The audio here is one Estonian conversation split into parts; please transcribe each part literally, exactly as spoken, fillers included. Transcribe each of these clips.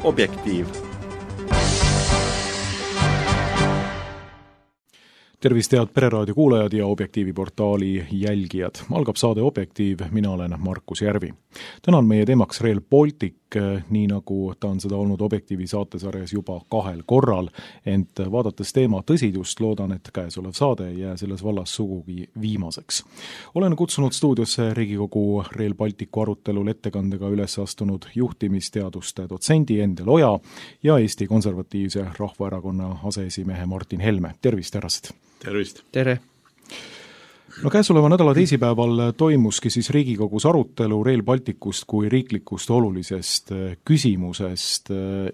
Objektiiv. Tervist, head Pereraadio kuulajad ja Objektiivi portaali jälgijad. Algab saade Objektiiv, mina olen Markus Järvi. Täna on meie teemaks Rail Baltic, nii nagu ta on seda olnud Objektiivi saatesarjas juba kahel korral, ent vaadates teema tõsidust, loodan, et käesolev saade ei jää selles vallas sugugi viimaseks. Olen kutsunud stuudiosse Riigikogu Rail Balticu arutelul ettekandega üles astunud juhtimisteaduste dotsendi Endel Oja ja Eesti Konservatiivse Rahvaerakonna aseesimehe Martin Helme. Tervist, härrased! Tervist! Tere! No käesoleva nädala teisipäeval toimuski siis Riigikogus arutelu Rail Balticust kui riiklikust olulisest küsimusest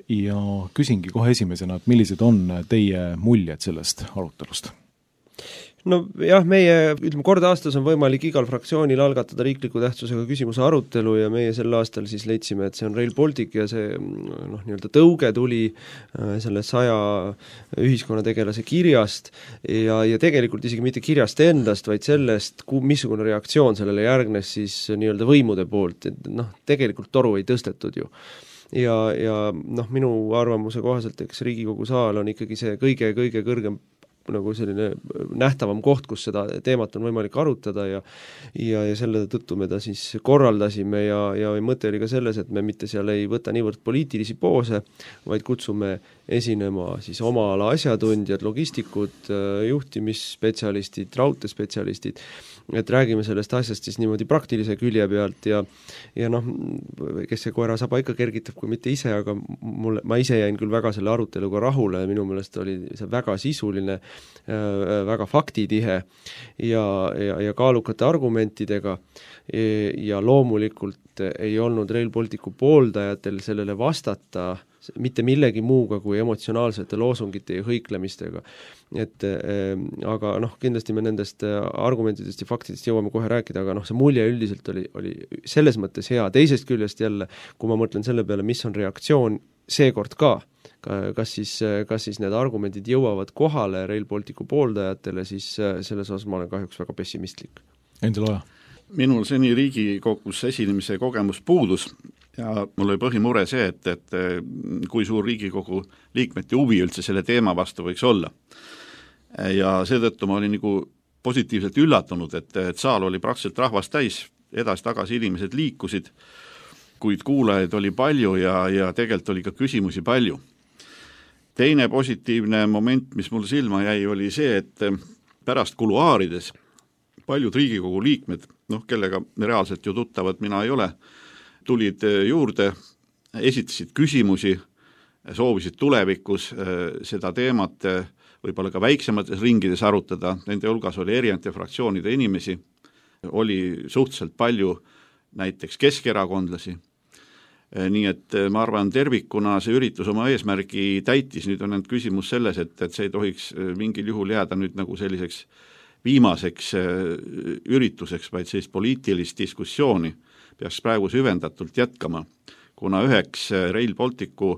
ja küsingi kohe esimesena, et millised on teie muljed sellest arutelust? No jah, meie, ütleme, kord aastas on võimalik igal fraktsioonil algatada riikliku tähtsusega küsimuse arutelu ja meie sel aastal siis leidsime, et see on Rail Baltic ja see noh, nii-öelda tõuge tuli selle saja ühiskonnategelase kirjast ja, ja tegelikult isegi mitte kirjast endast, vaid sellest, missugune reaktsioon sellele järgnes siis nii-öelda võimude poolt, et noh, tegelikult toru ei tõstetud ju. Ja, ja noh, minu arvamuse kohaselt, eks Riigikogu saal on ikkagi see kõige-kõige kõrgem nagu selline nähtavam koht, kus seda teemat on võimalik arutada ja ja, ja selle tõttu me ta siis korraldasime ja, ja mõte oli ka selles, et me mitte seal ei võta niivõrd poliitilisi poose, vaid kutsume esinema siis oma ala asjatundjad, logistikud, juhtimisspetsialistid, raudteespetsialistid, et räägime sellest asjast siis niimoodi praktilise külje pealt ja, ja noh, kes see koera saba ikka kergitab, kui mitte ise, aga mulle, ma ise jäin küll väga selle aruteluga rahule ja minu meelest oli see väga sisuline, väga faktitihe ja, ja, ja kaalukate argumentidega ja loomulikult ei olnud Rail Balticu pooldajatel sellele vastata mitte millegi muuga kui emotsionaalsete loosungite ja hõiklemistega. Et, äh, aga noh, kindlasti me nendest argumentidest ja faktidest jõuame kohe rääkida, aga noh, see mulje üldiselt oli, oli selles mõttes hea. Teisest küljest jälle, kui ma mõtlen selle peale, mis on reaktsioon seekord ka, kas siis, kas siis need argumendid jõuavad kohale Rail Balticu pooldajatele, siis selles osas ma olen kahjuks väga pessimistlik. Endel Oja. Minul seni Riigikogus esinemise kogemus puudus ja mul oli põhimure see, et, et kui suur Riigikogu liikmete huvi üldse selle teema vastu võiks olla. Ja seetõttu ma olin nagu positiivselt üllatunud, et, et saal oli praktiliselt rahvast täis, edasi-tagasi inimesed liikusid, kuid kuulajaid oli palju ja, ja tegelikult oli ka küsimusi palju. Teine positiivne moment, mis mul silma jäi, oli see, et pärast kuluaarides paljud Riigikogu liikmed, noh, kellega reaalselt ju tuttavad mina ei ole, tulid juurde, esitasid küsimusi, soovisid tulevikus seda teemat võib-olla ka väiksemates ringides arutada, nende hulgas oli erinevate fraktsioonide inimesi, oli suhteliselt palju näiteks keskerakondlasi, nii et ma arvan, tervikuna see üritus oma eesmärgi täitis, nüüd on need küsimus selles, et, et see ei tohiks mingil juhul jääda nüüd nagu selliseks viimaseks ürituseks, vaid sellist poliitilist diskussiooni peaks praegu süvendatult jätkama, kuna üheks Rail Balticu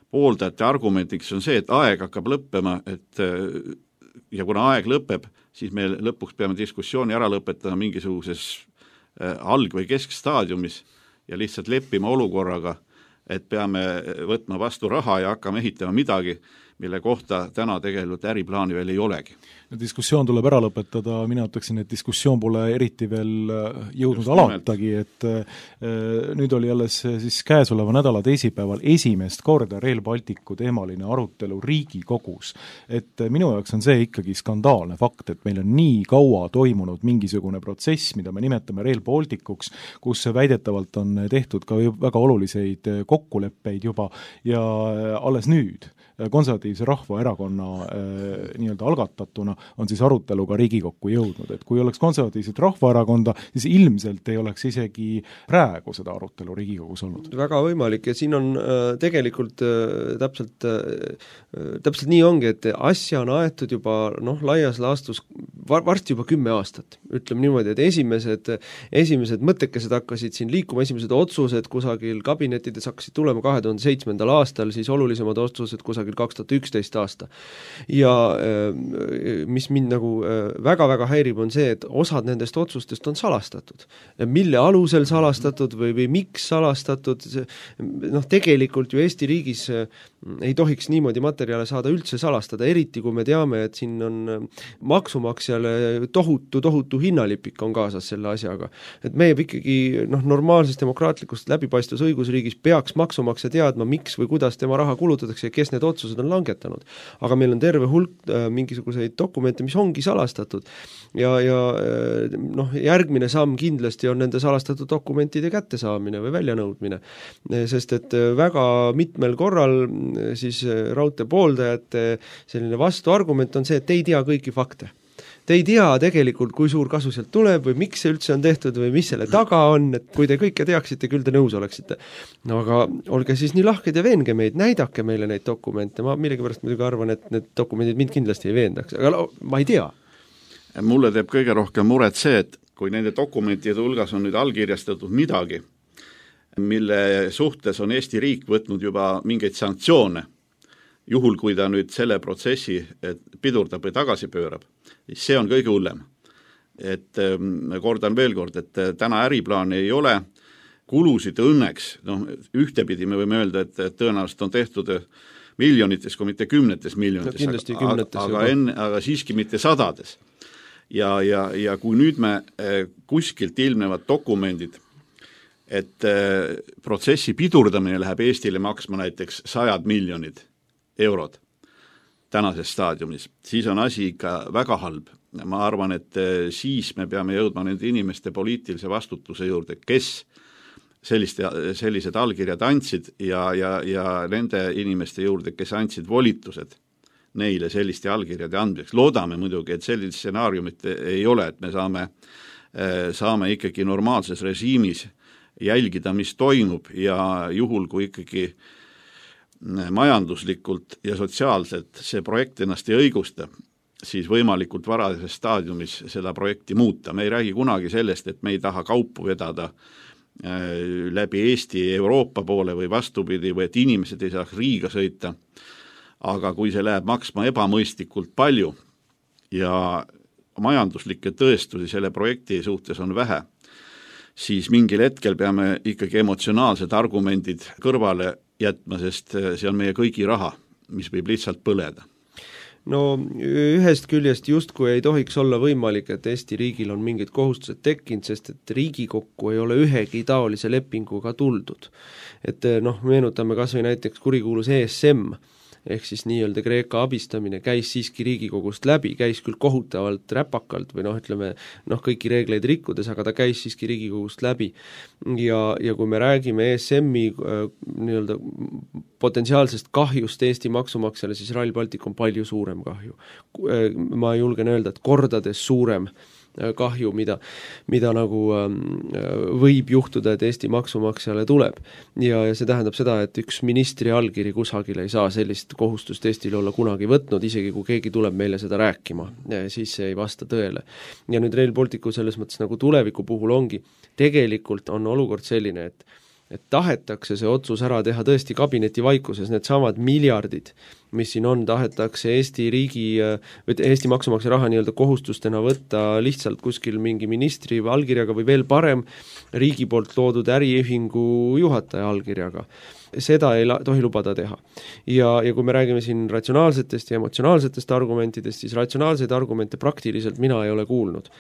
pooldajate argumendiks on see, et aeg hakkab lõppema, et ja kuna aeg lõpeb, siis me lõpuks peame diskussiooni ära lõpetama mingisuguses alg- või keskstaadiumis ja lihtsalt leppima olukorraga, et peame võtma vastu raha ja hakkama ehitama midagi, mille kohta täna tegelikult äriplaani veel ei olegi. Diskussioon tuleb ära lõpetada, mina ütleksin, et diskussioon pole eriti veel jõudnud alatagi, et nüüd oli alles siis käesoleva nädala teisipäeval esimest korda Rail Balticu teemaline arutelu Riigikogus. Et minu jaoks on see ikkagi skandaalne fakt, et meil on nii kaua toimunud mingisugune protsess, mida me nimetame Rail Balticuks, kus väidetavalt on tehtud ka väga oluliseid kokkuleppeid juba ja alles nüüd Konservatiivse Rahvaerakonna äh, nii-öelda algatatuna on siis arutelu ka Riigikokku jõudnud, et kui oleks Konservatiivset Rahvaerakonda, siis ilmselt ei oleks isegi praegu seda arutelu Riigikogus olnud. Väga võimalik ja siin on äh, tegelikult äh, täpselt, äh, täpselt nii ongi, et asja on aetud juba noh, laias laastus varsti juba kümme aastat, ütleme niimoodi, et esimesed, esimesed mõttekesed hakkasid siin liikuma, esimesed otsused kusagil kabinettides hakkasid tulema kahe tuhande seitsmendal aastal, siis olulisemad otsused kusagil kaks tuhat üksteist aasta. Ja mis mind nagu väga-väga häirib, on see, et osad nendest otsustest on salastatud. Mille alusel salastatud või, või miks salastatud, noh tegelikult ju Eesti riigis ei tohiks niimoodi materjale saada üldse salastada, eriti kui me teame, et siin on maksumaksjale tohutu, tohutu hinnalipik on kaasas selle asjaga. Et me ikkagi noh, normaalsest demokraatlikust läbipaistvus õigusriigis peaks maksumaksja teadma, miks või kuidas tema raha kulutatakse ja kes need otsused on langetanud. Aga meil on terve hulk äh, mingisuguseid dokumente, mis ongi salastatud. Ja, ja noh, järgmine samm kindlasti on nende salastatud dokumentide kättesaamine või väljanõudmine. Sest et väga mitmel korral siis raudtee pooldajate selline vastuargument on see, et te ei tea kõiki fakte. Te ei tea tegelikult, kui suur kasu sealt tuleb või miks see üldse on tehtud või mis selle taga on, et kui te kõike teaksite, küll te nõus oleksite. No aga olge siis nii lahked ja veenge meid, näidake meile neid dokumente, ma millegipärast muidugi arvan, et need dokumendid mind kindlasti ei veendaks, aga ma ei tea. Mulle teeb kõige rohkem muret see, et kui nende dokumentide hulgas on nüüd allkirjastatud midagi, mille suhtes on Eesti riik võtnud juba mingeid sanktsioone, juhul kui ta nüüd selle protsessi pidurdab või tagasi pöörab, siis see on kõige hullem. Et kordan veel kord, et täna äriplaani ei ole, kulusid õnneks, noh, ühtepidi me võime öelda, et tõenäoliselt on tehtud miljonites, kui mitte kümnetes miljonites, no, aga, kümnetes aga, enne, aga siiski mitte sadades. Ja, ja, ja kui nüüd me kuskilt ilmnevad dokumendid, et protsessi pidurdamine läheb Eestile maksma näiteks sajad miljonid eurod tänases staadiumis, siis on asi ikka väga halb. Ma arvan, et siis me peame jõudma nende inimeste poliitilise vastutuse juurde, kes selliste, sellised allkirjad andsid ja, ja, ja nende inimeste juurde, kes andsid volitused neile selliste allkirjade andmiseks. Loodame muidugi, et sellist stsenaariumit ei ole, et me saame, saame ikkagi normaalses režiimis jälgida, mis toimub ja juhul, kui ikkagi majanduslikult ja sotsiaalselt see projekt ennast ei õigusta, siis võimalikult varases staadiumis seda projekti muuta. Me ei räägi kunagi sellest, et me ei taha kaupu vedada läbi Eesti Euroopa poole või vastupidi, või et inimesed ei saaks Riiga sõita, aga kui see läheb maksma ebamõistlikult palju ja majanduslikke tõestusi selle projekti suhtes on vähe, siis mingil hetkel peame ikkagi emotsionaalsed argumendid kõrvale jätma, sest see on meie kõigi raha, mis võib lihtsalt põleda. No ühest küljest justkui ei tohiks olla võimalik, et Eesti riigil on mingid kohustused tekkinud, sest et Riigikokku ei ole ühegi taolise lepinguga tuldud. Et noh, meenutame kas või näiteks kurikuulus E S M, ehk siis nii-öelda Kreeka abistamine käis siiski Riigikogust läbi, käis küll kohutavalt räpakalt või noh, ütleme, noh, kõiki reegleid rikkudes, aga ta käis siiski Riigikogust läbi. Ja, ja kui me räägime E S M-i äh, nii-öelda potentsiaalsest kahjust Eesti maksumaksjale, siis Rail Baltic on palju suurem kahju. Ma julgen öelda, et kordades suurem kahju, mida, mida nagu võib juhtuda, et Eesti maksumaksjale tuleb. Ja, ja see tähendab seda, et üks ministri allkiri kusagil ei saa sellist kohustust Eestile olla kunagi võtnud, isegi kui keegi tuleb meile seda rääkima, siis see ei vasta tõele. Ja nüüd Rail Balticu selles mõttes nagu tuleviku puhul ongi, tegelikult on olukord selline, et et tahetakse see otsus ära teha tõesti kabineti vaikuses, need samad miljardid, mis siin on, tahetakse Eesti riigi, Eesti maksumaksja raha nii-öelda kohustustena võtta lihtsalt kuskil mingi ministri allkirjaga või veel parem riigi poolt loodud äriühingu juhataja allkirjaga. Seda ei la- tohi lubada teha. Ja, ja kui me räägime siin ratsionaalsetest ja emotsionaalsetest argumentidest, siis ratsionaalseid argumente praktiliselt mina ei ole kuulnud.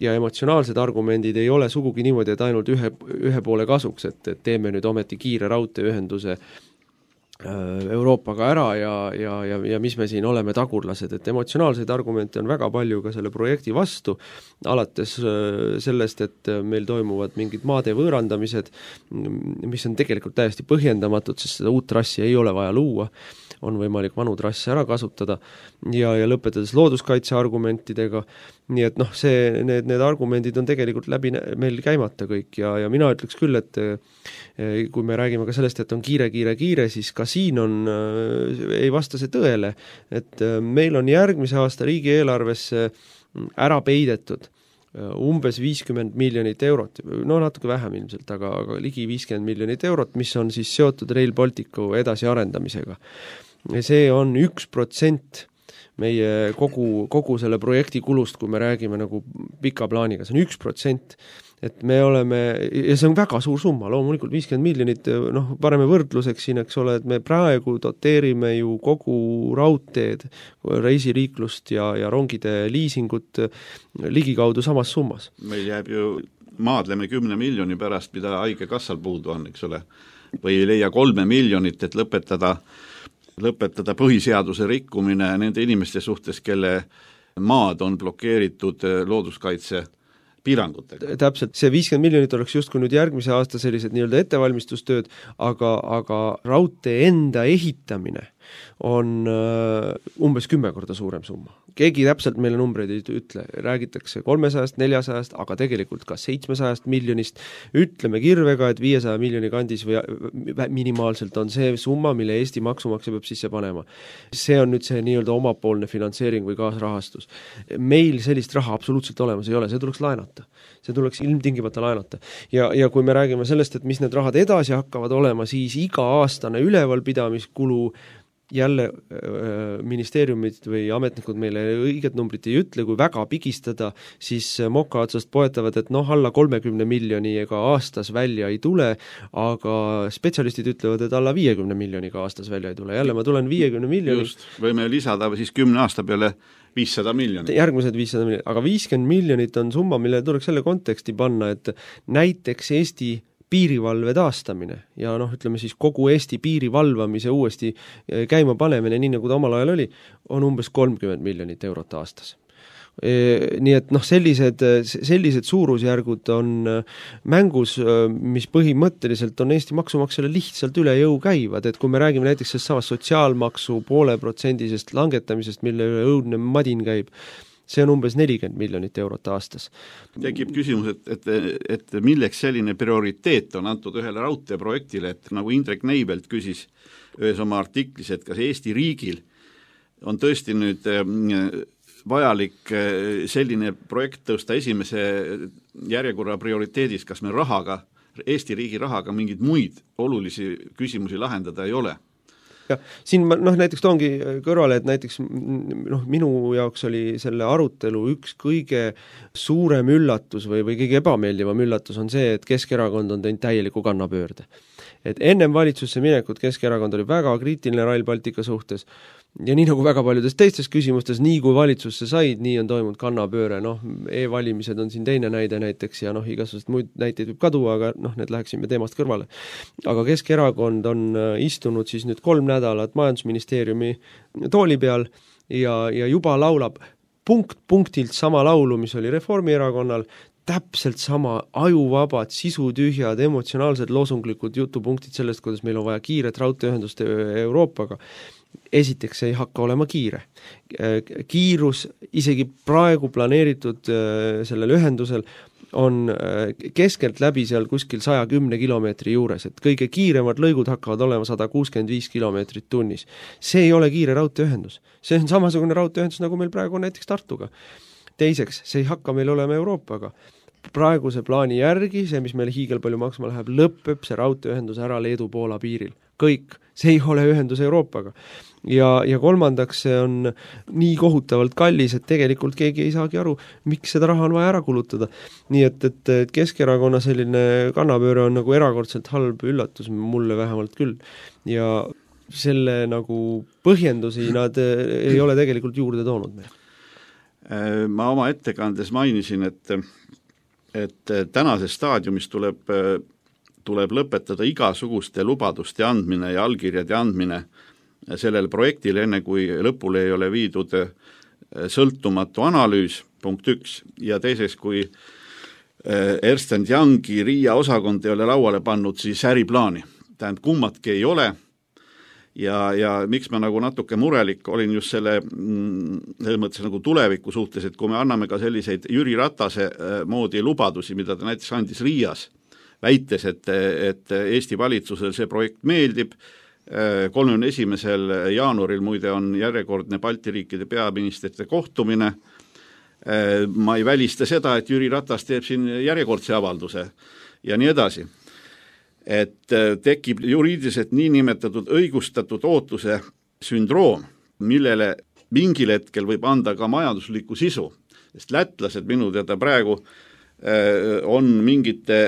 Ja emotsionaalsed argumendid ei ole sugugi niimoodi, et ainult ühe, ühe poole kasuks, et, et teeme nüüd ometi kiire raudteeühenduse Euroopaga ära ja, ja, ja, ja mis me siin oleme tagurlased, et emotsionaalseid argumente on väga palju ka selle projekti vastu, alates sellest, et meil toimuvad mingid maade võõrandamised, mis on tegelikult täiesti põhjendamatud, sest seda uut trassi ei ole vaja luua, on võimalik vanu trasse ära kasutada ja, ja lõpetades looduskaitse argumentidega, nii et noh, see, need, need argumendid on tegelikult läbi meil käimata kõik ja, ja mina ütleks küll, et kui me räägime ka sellest, et on kiire, kiire, kiire, siis ka siin on, ei vasta see tõele, et meil on järgmise aasta riigieelarvesse ära peidetud umbes viiskümmend miljonit eurot, no natuke vähem ilmselt, aga, aga ligi viiskümmend miljonit eurot, mis on siis seotud Rail Balticu edasiarendamisega. See on üks protsent meie kogu, kogu selle projekti kulust, kui me räägime nagu pika plaaniga, see on üks protsent, et me oleme, ja see on väga suur summa, loomulikult viiskümmend miljonit, noh, pareme võrdluseks siin, eks ole, et me praegu doteerime ju kogu raudteed, reisiriiklust ja, ja rongide liisingut ligikaudu samas summas. Meil jääb ju maadleme kümne miljoni pärast, mida haigekassal puudu on, eks ole, või ei leia kolme miljonit, et lõpetada lõpetada põhiseaduse rikkumine nende inimeste suhtes, kelle maad on blokeeritud looduskaitse piirangutega. Täpselt, see viiskümmend miljonit oleks justkui nüüd järgmise aasta sellised nii-öelda ettevalmistustööd, aga, aga raudtee enda ehitamine on uh, umbes kümme korda suurem summa. Keegi täpselt meile numbreid ei ütle, räägitakse kolmesajast, neljasajast, aga tegelikult ka seitsmesajast miljonist, ütleme kirvega, et viiesaja miljoni kandis või minimaalselt on see summa, mille Eesti maksumaksja peab sisse panema. See on nüüd see nii-öelda omapoolne finantseering või kaasrahastus. Meil sellist raha absoluutselt olemas ei ole, see tuleks laenata. See tuleks ilmtingimata laenata. Ja, ja kui me räägime sellest, et mis need rahad edasi hakkavad olema, siis iga aastane ülevalpidamiskulu jälle äh, ministeeriumid või ametnikud meile õiget numbrit ei ütle, kui väga pigistada, siis moka otsast poetavad, et noh, alla kolmekümne miljoni ega aastas välja ei tule, aga spetsialistid ütlevad, et alla viiekümne miljoniga aastas välja ei tule. Jälle ma tulen viiekümne miljoni. Just, võime lisada siis kümne aasta peale viissada miljonit. Järgmised viissada miljonit, aga viiskümmend miljonit on summa, mille tuleks selle konteksti panna, et näiteks Eesti piirivalve taastamine ja noh, ütleme siis kogu Eesti piirivalvamise uuesti käima panemine, nii nagu ta omal ajal oli, on umbes kolmkümmend miljonit eurot aastas. E, nii et noh, sellised, sellised suurusjärgud on mängus, mis põhimõtteliselt on Eesti maksumaksjale lihtsalt üle jõu käivad, et kui me räägime näiteks sellest samast sotsiaalmaksu poole protsendisest langetamisest, mille üle õudne madin käib, see on umbes nelikümmend miljonit eurot aastas. Tekib küsimus, et, et, et milleks selline prioriteet on antud ühele raudteeprojektile, et nagu Indrek Neibelt küsis ühes oma artiklis, et kas Eesti riigil on tõesti nüüd vajalik selline projekt tõusta esimese järjekorra prioriteedis, kas me rahaga, Eesti riigi rahaga mingeid muid olulisi küsimusi lahendada ei ole. Ja siin ma noh, näiteks toongi kõrvale, et näiteks noh, minu jaoks oli selle arutelu üks kõige suurem üllatus või, või kõige ebameeldivam üllatus on see, et Keskerakond on teinud täieliku kannapöörde. Et ennem valitsusse minekut Keskerakond oli väga kriitiline Rail Baltica suhtes ja nii nagu väga paljudes teistes küsimustes, nii kui valitsusse said, nii on toimunud kannapööre, noh, e-valimised on siin teine näide näiteks ja noh, igasugused muid näiteid võib kaduda, aga noh, need läheksime teemast kõrvale. Aga Keskerakond on istunud siis nüüd kolm nädalat majandusministeeriumi tooli peal ja, ja juba laulab punkt punktilt sama laulu, mis oli Reformierakonnal, täpselt sama ajuvabad, sisutühjad, emotsionaalsed loosunglikud jutupunktid sellest, kuidas meil on vaja kiiret raudteeühendust Euroopaga. Esiteks ei hakka olema kiire. Kiirus isegi praegu planeeritud sellel ühendusel on keskelt läbi seal kuskil saja kümne kilomeetri juures, et kõige kiiremad lõigud hakkavad olema sada kuuskümmend viis kilomeetrit tunnis. See ei ole kiire raudteeühendus. See on samasugune raudteeühendus, nagu meil praegu on näiteks Tartuga. Teiseks, see ei hakka meil olema Euroopaga. Praeguse plaani järgi, see, mis meile hiigel palju maksma läheb, lõpeb see raudteeühendus ära Leedu-Poola piiril. Kõik. See ei ole ühendus Euroopaga. Ja, ja kolmandaks, see on nii kohutavalt kallis, et tegelikult keegi ei saagi aru, miks seda raha on vaja ära kulutada. Nii et, et, et Keskerakonna selline kannapööre on nagu erakordselt halb üllatus, mulle vähemalt küll. Ja selle nagu põhjendusi nad ei ole tegelikult juurde toonud meil. Ma oma ettekandes mainisin, et, et tänases staadiumis tuleb, tuleb lõpetada igasuguste lubaduste andmine ja allkirjade andmine sellele projektile, enne kui lõpule ei ole viidud sõltumatu analüüs, punkt üks, ja teiseks, kui Ernst and Youngi Riia osakond ei ole lauale pannud, siis äriplaani. Tähendab, kummatki ei ole. Ja, ja miks ma nagu natuke murelik olin just selle, selle mõttes nagu tuleviku suhtes, et kui me anname ka selliseid Jüri Ratase moodi lubadusi, mida ta näiteks andis Riias, väites, et, et Eesti valitsusel see projekt meeldib, kolmekümne esimesel jaanuaril muide on järjekordne Balti riikide peaministrite kohtumine, ma ei välista seda, et Jüri Ratas teeb siin järjekordse avalduse ja nii edasi. Et tekib juriidiliselt niinimetatud õigustatud ootuse sündroom, millele mingil hetkel võib anda ka majanduslikku sisu, sest lätlased minu teada praegu on mingite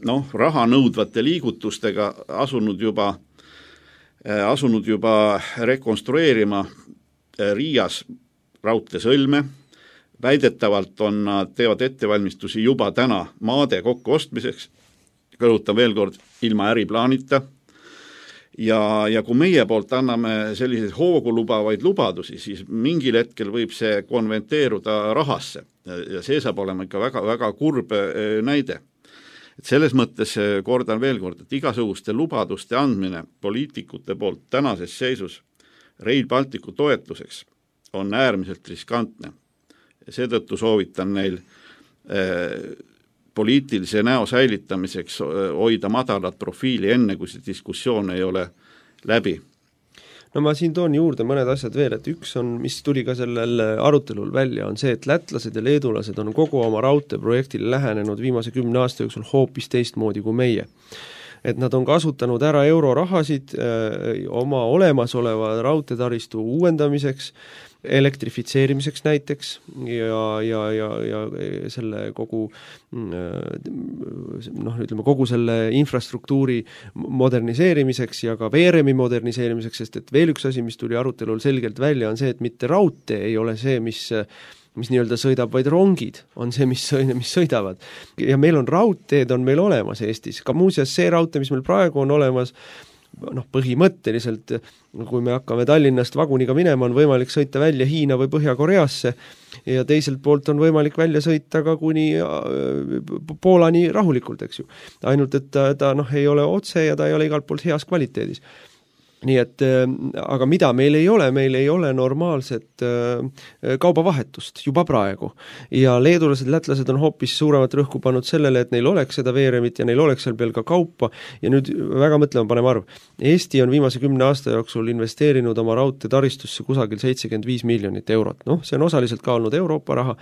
noh, raha nõudvate liigutustega asunud juba, asunud juba rekonstrueerima Riias raudteesõlme, väidetavalt on nad teevad ettevalmistusi juba täna maade kokku ostmiseks, kõrutan veel kord, ilma äriplaanita, ja, ja kui meie poolt anname selliseid hoogu lubavaid lubadusi, siis mingil hetkel võib see konventeeruda rahasse ja see saab olema ikka väga, väga kurb näide. Et selles mõttes kordan veel kord, et igasuguste lubaduste andmine poliitikute poolt tänases seisus Rail Balticu toetuseks on äärmiselt riskantne. Seetõttu soovitan neil eh, poliitilise näo säilitamiseks hoida madalat profiili enne, kui see diskussioon ei ole läbi. No ma siin toon juurde mõned asjad veel, et üks on, mis tuli ka sellel arutelul välja, on see, et lätlased ja leedulased on kogu oma raudteeprojektile lähenenud viimase kümne aasta jooksul hoopis teistmoodi kui meie. Et nad on kasutanud ära eurorahasid öö, oma olemasoleva raudteetaristu uuendamiseks, elektrifitseerimiseks näiteks ja, ja, ja, ja selle kogu noh, ütleme kogu selle infrastruktuuri moderniseerimiseks ja ka veeremi moderniseerimiseks, sest et veel üks asi, mis tuli arutelul selgelt välja, on see, et mitte raudtee ei ole see, mis mis nii-öelda sõidab, vaid rongid on see, mis, mis sõidavad. Ja meil on raudteed, on meil olemas Eestis. Ka muuseas see raudtee, mis meil praegu on olemas, noh, põhimõtteliselt, kui me hakkame Tallinnast vaguniga minema, on võimalik sõita välja Hiina või Põhja-Koreasse ja teiselt poolt on võimalik välja sõita ka kuni Poolani rahulikult, eks ju. Ainult, et ta, ta noh, ei ole otse ja ta ei ole igalt poolt heas kvaliteedis. Nii et, aga mida meil ei ole, meil ei ole normaalset kaubavahetust juba praegu. Ja leedulased, lätlased on hoopis suuremat rõhku pannud sellele, et neil oleks seda veeremit ja neil oleks seal veel ka kaupa ja nüüd väga mõtlema paneme arv. Eesti on viimase kümne aasta jooksul investeerinud oma raudteetaristusse kusagil seitsekümmend viis miljonit eurot. Noh, see on osaliselt ka olnud Euroopa raha,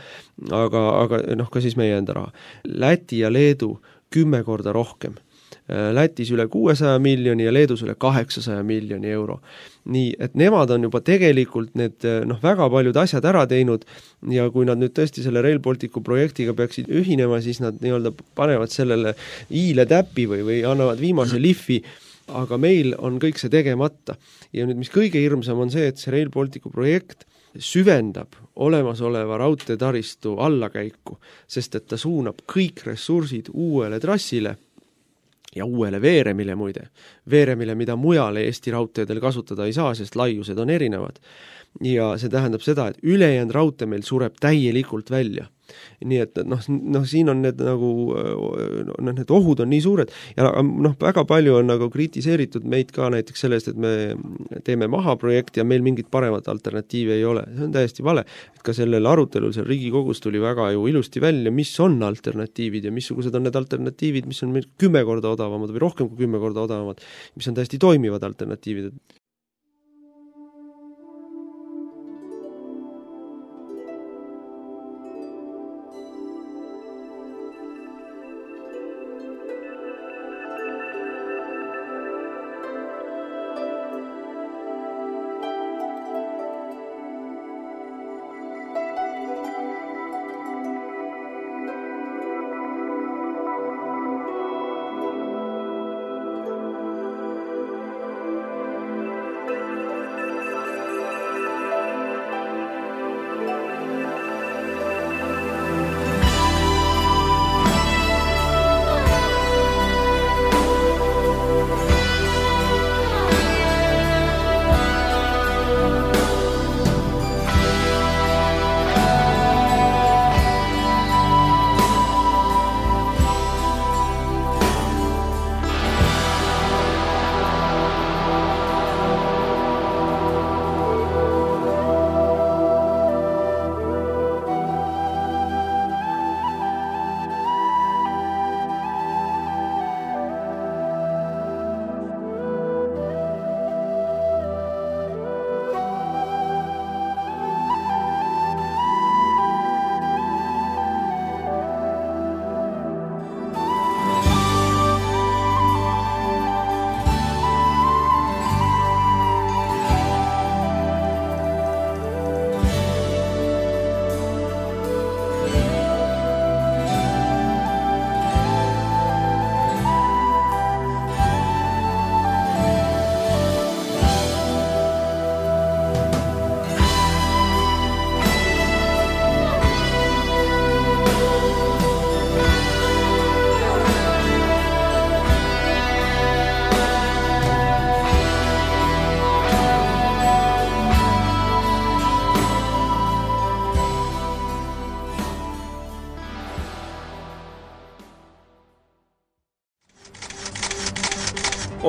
aga, aga noh, ka siis meie enda raha. Läti ja Leedu kümme korda rohkem. Lätis üle kuuesaja miljoni ja Leedus üle kaheksasaja miljoni euro. Nii, et nemad on juba tegelikult need noh, väga paljud asjad ära teinud ja kui nad nüüd tõesti selle Rail Balticu projektiga peaksid ühinema, siis nad nii-öelda panevad sellele iile täppi või, või annavad viimase lihvi, aga meil on kõik see tegemata. Ja nüüd, mis kõige hirmsam on see, et see Rail Balticu projekt süvendab olemasoleva raudteetaristu allakäiku, sest et ta suunab kõik ressursid uuele trassile ja uuele veeremile muide. Veeremile, mida mujale Eesti raudteedel kasutada ei saa, sest laiused on erinevad. Ja see tähendab seda, et ülejäänud raudtee meil sureb täielikult välja. Nii et noh, noh, siin on need nagu noh, need ohud on nii suured ja noh, väga palju on nagu kritiseeritud meid ka näiteks sellest, et me teeme maha projekti ja meil mingit paremat alternatiivi ei ole. See on täiesti vale. Et ka sellel arutelul seal Riigikogus tuli väga ju ilusti välja, mis on alternatiivid ja missugused on need alternatiivid, mis on meil kümme korda odavamad või rohkem kui kümme korda odavamad, mis on täiesti toimivad alternatiivid.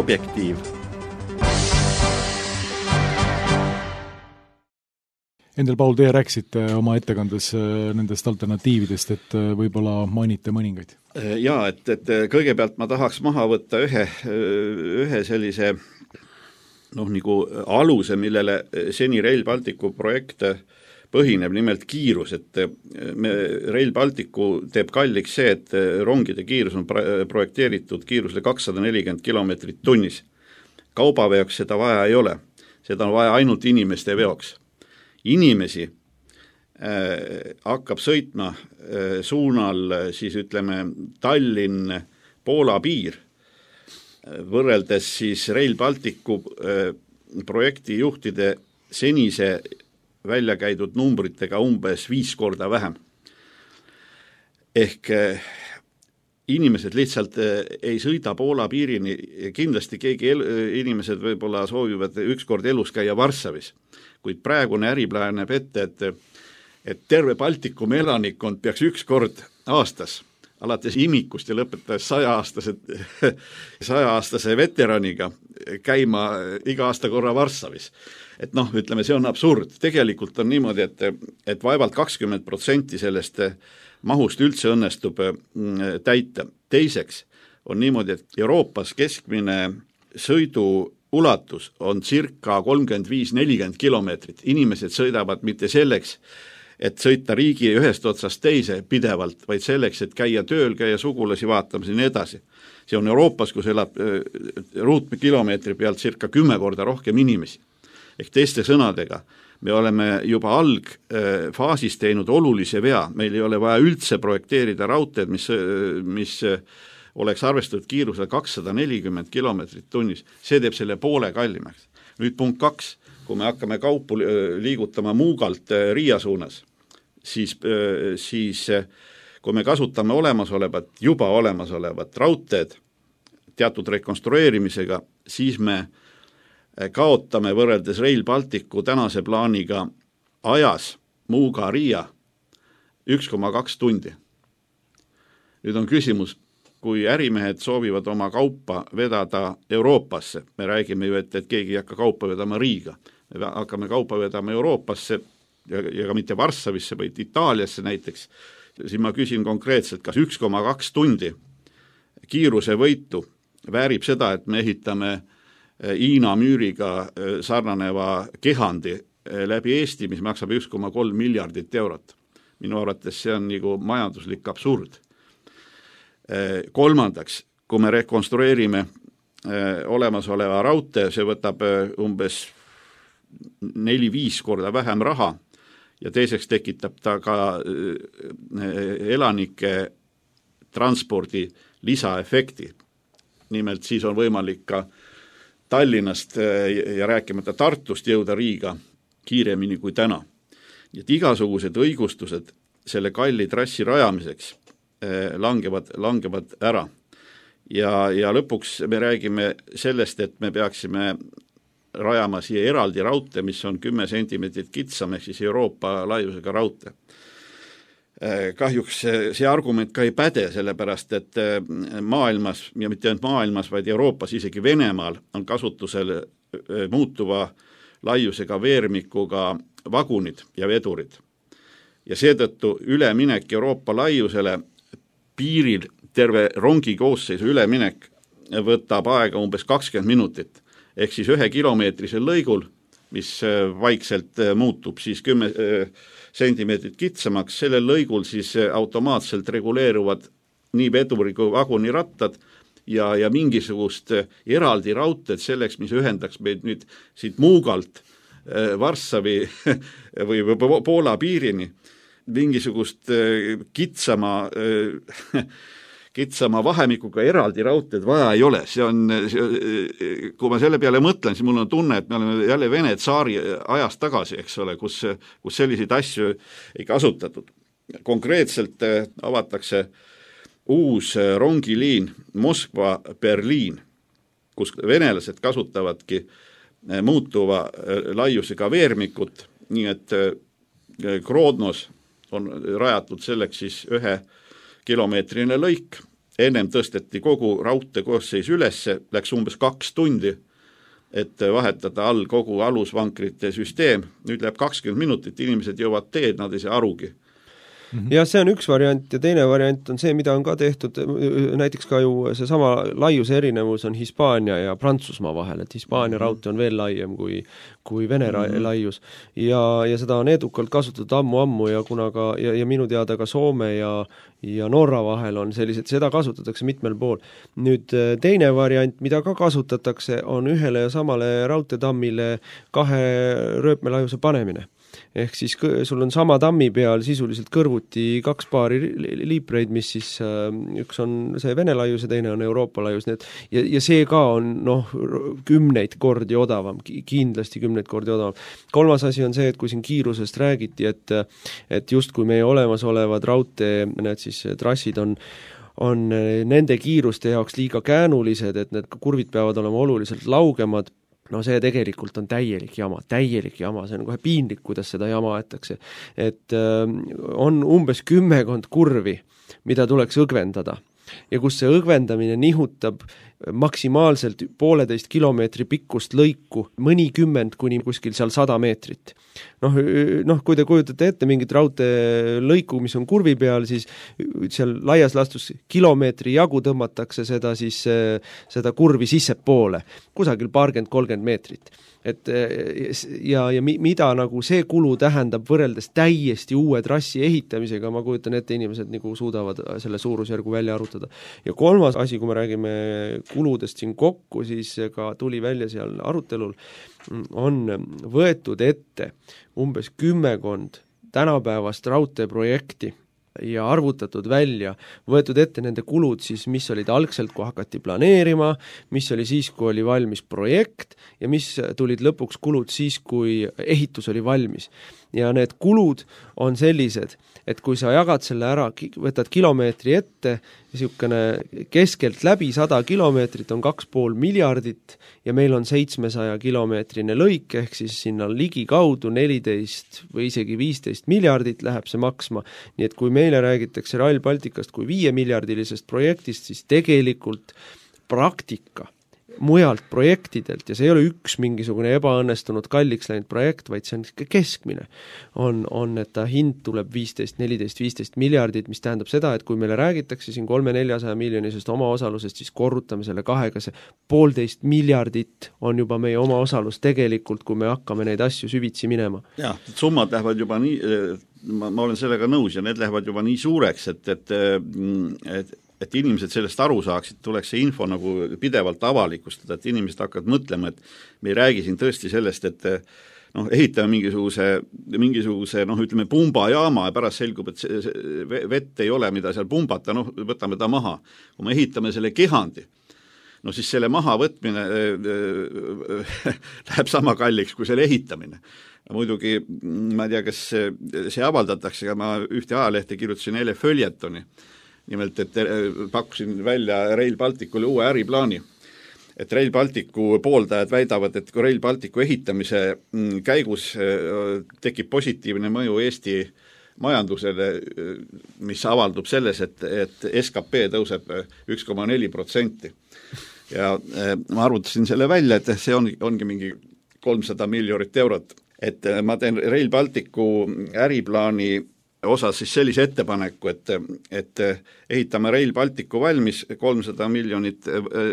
Objektiiv. Endel Paul, teie rääksite oma ettekandes nendest alternatiividest, et võib-olla mainite mõningaid. Jaa, et, et kõigepealt ma tahaks maha võtta ühe, ühe sellise noh, nagu aluse, millele seni Rail Balticu projekt põhineb, nimelt kiirus, et me, Rail Balticu teeb kalliks see, et rongide kiirus on projekteeritud kiirusele kakssada nelikümmend kilomeetrit tunnis. Kaubaveoks seda vaja ei ole, seda on vaja ainult inimeste veoks. Inimesi äh, hakkab sõitma äh, suunal siis ütleme Tallinn-Poola piir, võrreldes siis Rail Balticu äh, projekti juhtide senise välja käidud numbritega umbes viis korda vähem. Ehk äh, inimesed lihtsalt äh, ei sõida Poola piirini, kindlasti keegi el- inimesed võib-olla soovivad ükskord elus käia Varssavis, kuid praegune äriplaan näeb ette, et, et terve Baltikumi elanikkond peaks üks kord aastas, alates imikust ja lõpetades saja-aastase, saja-aastase veteraniga käima iga aasta korra Varssavis. Et noh, ütleme, see on absurd. Tegelikult on niimoodi, et, et vaevalt kakskümmend protsenti sellest mahust üldse õnnestub täita. Teiseks on niimoodi, et Euroopas keskmine sõidu ulatus on circa kolmkümmend viis nelikümmend kilomeetrit. Inimesed sõidavad mitte selleks, et sõita riigi ühest otsast teise pidevalt, vaid selleks, et käia tööl, käia sugulasi vaatamas ja nii edasi. See on Euroopas, kus elab ruutkilomeetri pealt circa kümme korda rohkem inimesi. Ehk teiste sõnadega, me oleme juba algfaasis teinud olulise vea, meil ei ole vaja üldse projekteerida raudteed, mis, mis oleks arvestatud kiirusel kakssada nelikümmend kilomeetrit tunnis, see teeb selle poole kallimaks. Nüüd punkt kaks, kui me hakkame kaupu liigutama Muugalt Riia suunas, siis, siis kui me kasutame olemasolevat, juba olemasolevat raudteed teatud rekonstrueerimisega, siis me kaotame võrreldes Rail Balticu tänase plaaniga ajas Muuga Riia üks koma kaks tundi. Nüüd on küsimus, kui ärimehed soovivad oma kaupa vedada Euroopasse, me räägime ju, et, et keegi ei hakka kaupa vedama Riiga, me hakkame kaupa vedama Euroopasse ja, ja ka mitte Varssavisse, vaid Itaaliasse näiteks, siis ma küsin konkreetselt, kas üks koma kaks tundi kiiruse võitu väärib seda, et me ehitame Hiina müüriga sarnaneva kehandi läbi Eesti, mis maksab üks koma kolm miljardit eurot. Minu arvates see on nagu majanduslik absurd. Kolmandaks, kui me rekonstrueerime olemasoleva raudtee, see võtab umbes neli-viis korda vähem raha ja teiseks tekitab ta ka elanike transpordi lisaefekti. Nimelt siis on võimalik ka Tallinnast ja rääkimata Tartust jõuda Riiga kiiremini kui täna. Nii et igasugused õigustused selle kalli trassi rajamiseks langevad, langevad ära. Ja, ja lõpuks me räägime sellest, et me peaksime rajama siia eraldi raudtee, mis on kümme sentimeetrit kitsam, ehk siis Euroopa laiusega raudtee. Kahjuks see argument ka ei päde, sellepärast et maailmas, ja mitte ainult maailmas, vaid Euroopas, isegi Venemaal on kasutusel muutuva laiusega veermikuga vagunid ja vedurid. Ja seetõttu üleminek Euroopa laiusele piiril terve rongi koosseisu üleminek võtab aega umbes kakskümmend minutit. Ehk siis ühe kilomeetrisel lõigul, mis vaikselt muutub siis kümme sentimeetrit kitsamaks, sellel lõigul siis automaatselt reguleeruvad nii veduri kui vaguni rattad ja, ja mingisugust eraldi raudteed selleks, mis ühendaks meid nüüd siit Muugalt Varssavi või Poola piirini, mingisugust kitsama kitsama vahemikuga eraldi raudteed vaja ei ole. See on, kui ma selle peale mõtlen, siis mul on tunne, et me oleme jälle Vene tsaari ajast tagasi, eks ole, kus, kus selliseid asju ei kasutatud. Konkreetselt avatakse uus rongiliin Moskva-Berliin, kus venelased kasutavadki muutuva laiusega veermikut, nii et Grodnos on rajatud selleks siis ühe kilomeetrine lõik, ennem tõsteti kogu raudtee koosseis ülesse, läks umbes kaks tundi, et vahetada all kogu alusvankrite süsteem, nüüd läheb kakskümmend minutit, inimesed jõuavad teed, nad ei saa arugi. Ja see on üks variant ja teine variant on see, mida on ka tehtud, näiteks ka ju see sama laiuse erinevus on Hispaania ja Prantsusmaa vahel, et Hispaania mm-hmm. raudtee on veel laiem kui, kui Vene mm-hmm. laius ja, ja seda on edukalt kasutatud ammu-ammu ja kuna ka, ja, ja minu teada ka Soome ja, ja Norra vahel on sellised, seda kasutatakse mitmel pool. Nüüd teine variant, mida ka kasutatakse, on ühele ja samale raudteetammile kahe rööpmelaiuse panemine. Ehk siis sul on sama tammi peal sisuliselt kõrvuti kaks paari liipreid, mis siis üks on see Vene laius ja teine on Euroopa laius, need, ja, ja see ka on noh, kümneid kordi odavam, kindlasti kümneid kordi odavam. Kolmas asi on see, et kui siin kiirusest räägiti, et, et just kui meie olemasolevad raudtee, need siis trassid on on nende kiiruste jaoks liiga käänulised, et need kurvid peavad olema oluliselt laugemad, no see tegelikult on täielik jama, täielik jama, see on kohe piinlik, kuidas seda jama aetakse. Et äh, on umbes kümmekond kurvi, mida tuleks õgvendada ja kus see õgvendamine nihutab maksimaalselt pooleteist kilomeetri pikkust lõiku, mõnikümmend kuni kuskil seal sada meetrit. Noh, noh, kui te kujutate ette mingit raudtee lõiku, mis on kurvi peal, siis seal laias lastus kilomeetri jagu tõmmatakse seda, siis, seda kurvi sisse poole, kusagil paarkümmend kolmkümmend meetrit. Et, ja, ja mida nagu see kulu tähendab võrreldes täiesti uue trassi ehitamisega, ma kujutan ette, inimesed nagu suudavad selle suurusjärgu välja arutada. Ja kolmas asi, kui me räägime kuludest siin kokku, siis ka tuli välja seal arutelul, on võetud ette umbes kümmekond tänapäevast raudteeprojekti ja arvutatud välja, võetud ette nende kulud siis, mis olid algselt, kui hakati planeerima, mis oli siis, kui oli valmis projekt ja mis tulid lõpuks kulud siis, kui ehitus oli valmis. Ja need kulud on sellised, et kui sa jagad selle ära, võtad kilomeetri ette, niisugune keskelt läbi sada kilomeetrit on kaks pool miljardit ja meil on seitsmesaja kilomeetrine lõik, ehk siis sinna ligi kaudu neliteist või isegi viisteist miljardit läheb see maksma. Nii et kui meile räägitakse Rail Balticast kui viie miljardilisest projektist, siis tegelikult praktika mujalt projektidelt, ja see ei ole üks mingisugune ebaõnnestunud kalliks läinud projekt, vaid see on keskmine, on, on, et ta hind tuleb viisteist, neliteist, viisteist miljardit, mis tähendab seda, et kui meile räägitakse siin kolme-neljasaja miljonisest omaosalusest, siis korrutame selle kahega, see poolteist miljardit on juba meie omaosalus tegelikult, kui me hakkame neid asju süvitsi minema. Jah, summad lähevad juba nii, ma, ma olen sellega nõus ja need lähevad juba nii suureks, et, et, et et inimesed sellest aru saaksid, tuleks see info nagu pidevalt avalikustada, et inimesed hakkavad mõtlema, et me ei räägi siin tõesti sellest, et noh, ehitame mingisuguse, mingisuguse noh, ütleme pumbajaama ja pärast selgub, et see, see vett ei ole, mida seal pumbata, noh, võtame ta maha. Kui me ehitame selle kehandi, no siis selle maha võtmine läheb sama kalliks kui selle ehitamine. Muidugi, ma ei tea, kas see avaldatakse, aga ma ühte ajalehte kirjutasin eile följetoni, nimelt, et pakkusin välja Rail Balticule uue äriplaani. Et Rail Balticu pooldajad väidavad, et kui Rail Balticu ehitamise käigus tekib positiivne mõju Eesti majandusele, mis avaldub selles, et, et S K P tõuseb üks koma neli protsenti. Ja ma arvutasin selle välja, et see on, ongi mingi kolmsada miljonit eurot. Et ma teen Rail Balticu äriplaani osas siis sellise ettepaneku, et, et ehitame Rail Balticu valmis, kolmsada miljonit,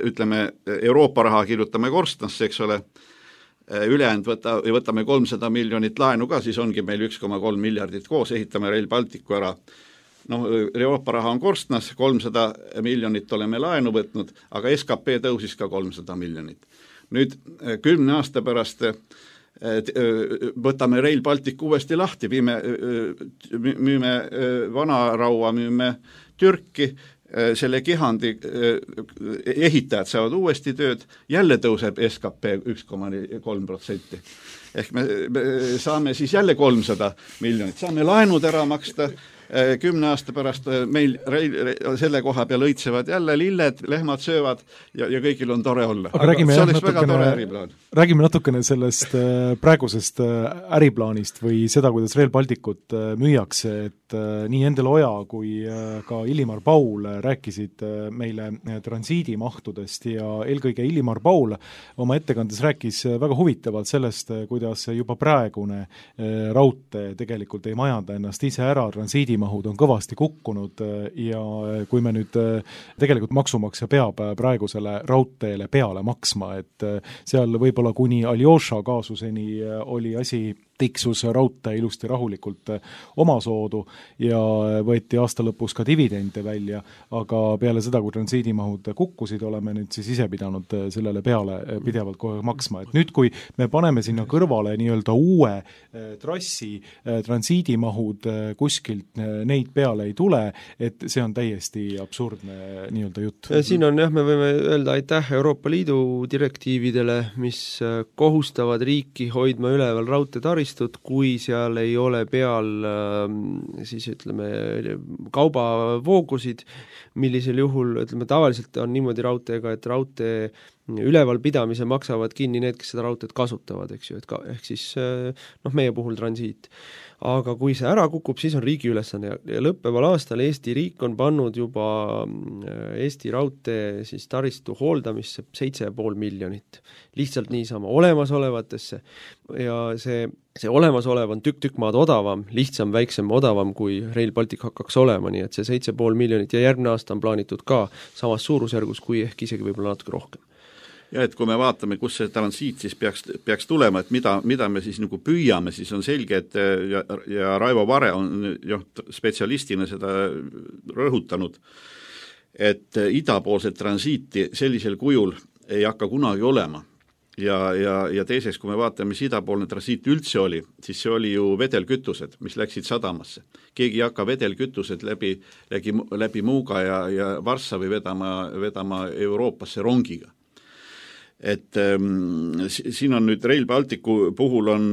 ütleme, Euroopa raha kirjutame korstnasse, eks ole, ülejäänud võta, võtame kolmsada miljonit laenu ka, siis ongi meil üks koma kolm miljardit koos, ehitame Rail Balticu ära. No, Euroopa raha on korstnas, kolmsada miljonit oleme laenu võtnud, aga S K P tõusis ka kolmsada miljonit. Nüüd kümne aasta pärast võtame Rail Baltic uuesti lahti, viime, müüme Vanaraua, müüme Türki, selle kehandi ehitajad saavad uuesti tööd, jälle tõuseb S K P üks koma kolm protsenti. Ehk me, me saame siis jälle kolmsada miljonit, saame laenud ära maksta, kümne aasta pärast meil selle koha peal õitsevad jälle lilled, lehmad söövad ja, ja kõigil on tore olla. aga räägime, see jah, oleks natukene, väga tore äriplaan. Räägime natukene sellest praegusest äriplaanist või seda, kuidas Rail Balticut müüakse, et nii Endel Oja kui ka Illimar Paul rääkisid meile transiidimahtudest ja eelkõige Illimar Paul oma ettekandes rääkis väga huvitavalt sellest, kuidas juba praegune raudtee tegelikult ei majanda ennast ise ära, transiidimahud on kõvasti kukkunud ja kui me nüüd tegelikult maksumaksja peab praegusele raudteele peale maksma, et seal võib-olla kuni Aljoša kaasuseni oli asi tiksus raudtee ilusti rahulikult omasoodu ja võeti aasta lõpus ka dividende välja, aga peale seda, kui transiidimahud kukkusid, oleme nüüd siis ise pidanud sellele peale pidevalt kohe maksma. Et nüüd, kui me paneme sinna kõrvale nii-öelda uue trassi transiidimahud kuskilt neid peale ei tule, et see on täiesti absurdne nii-öelda jutt. Siin on jah, me võime öelda aitäh Euroopa Liidu direktiividele, mis kohustavad riiki hoidma üleval raudteetaristut, kui seal ei ole peal siis ütleme kaubavoogusid, millisel juhul, ütleme tavaliselt on niimoodi raudteega, et raudtee ülevalpidamise maksavad kinni need, kes seda raudteed kasutavad, eks ju, et ka, ehk siis noh, meie puhul transiit. Aga kui see ära kukub, siis on riigi ülesanne ja lõppeval aastal Eesti riik on pannud juba Eesti raudtee siis taristu hooldamisse seitse ja pool miljonit. Lihtsalt niisama olemasolevatesse ja see, see olemasolev on tükk-tükk maad odavam, lihtsam, väiksem, odavam kui Rail Baltic hakkaks olema, nii et see seitse ja pool miljonit ja järgmine aasta on plaanitud ka samas suurusjärgus, kui ehk isegi võib-olla natuke rohkem. Ja et kui me vaatame, kus see transiit siis peaks, peaks tulema, et mida, mida me siis nagu püüame, siis on selge, et ja, ja Raivo Vare on jah, spetsialistina seda rõhutanud, et idapoolset transiiti sellisel kujul ei hakka kunagi olema. Ja, ja, ja teiseks, kui me vaatame, mis idapoolne transiit üldse oli, siis see oli ju vedelkütused, mis läksid sadamasse. Keegi ei hakka vedelkütused läbi, läbi, läbi Muuga ja, ja Varssavi vedama, vedama Euroopasse rongiga. Et ähm, siin on nüüd Rail Balticu puhul on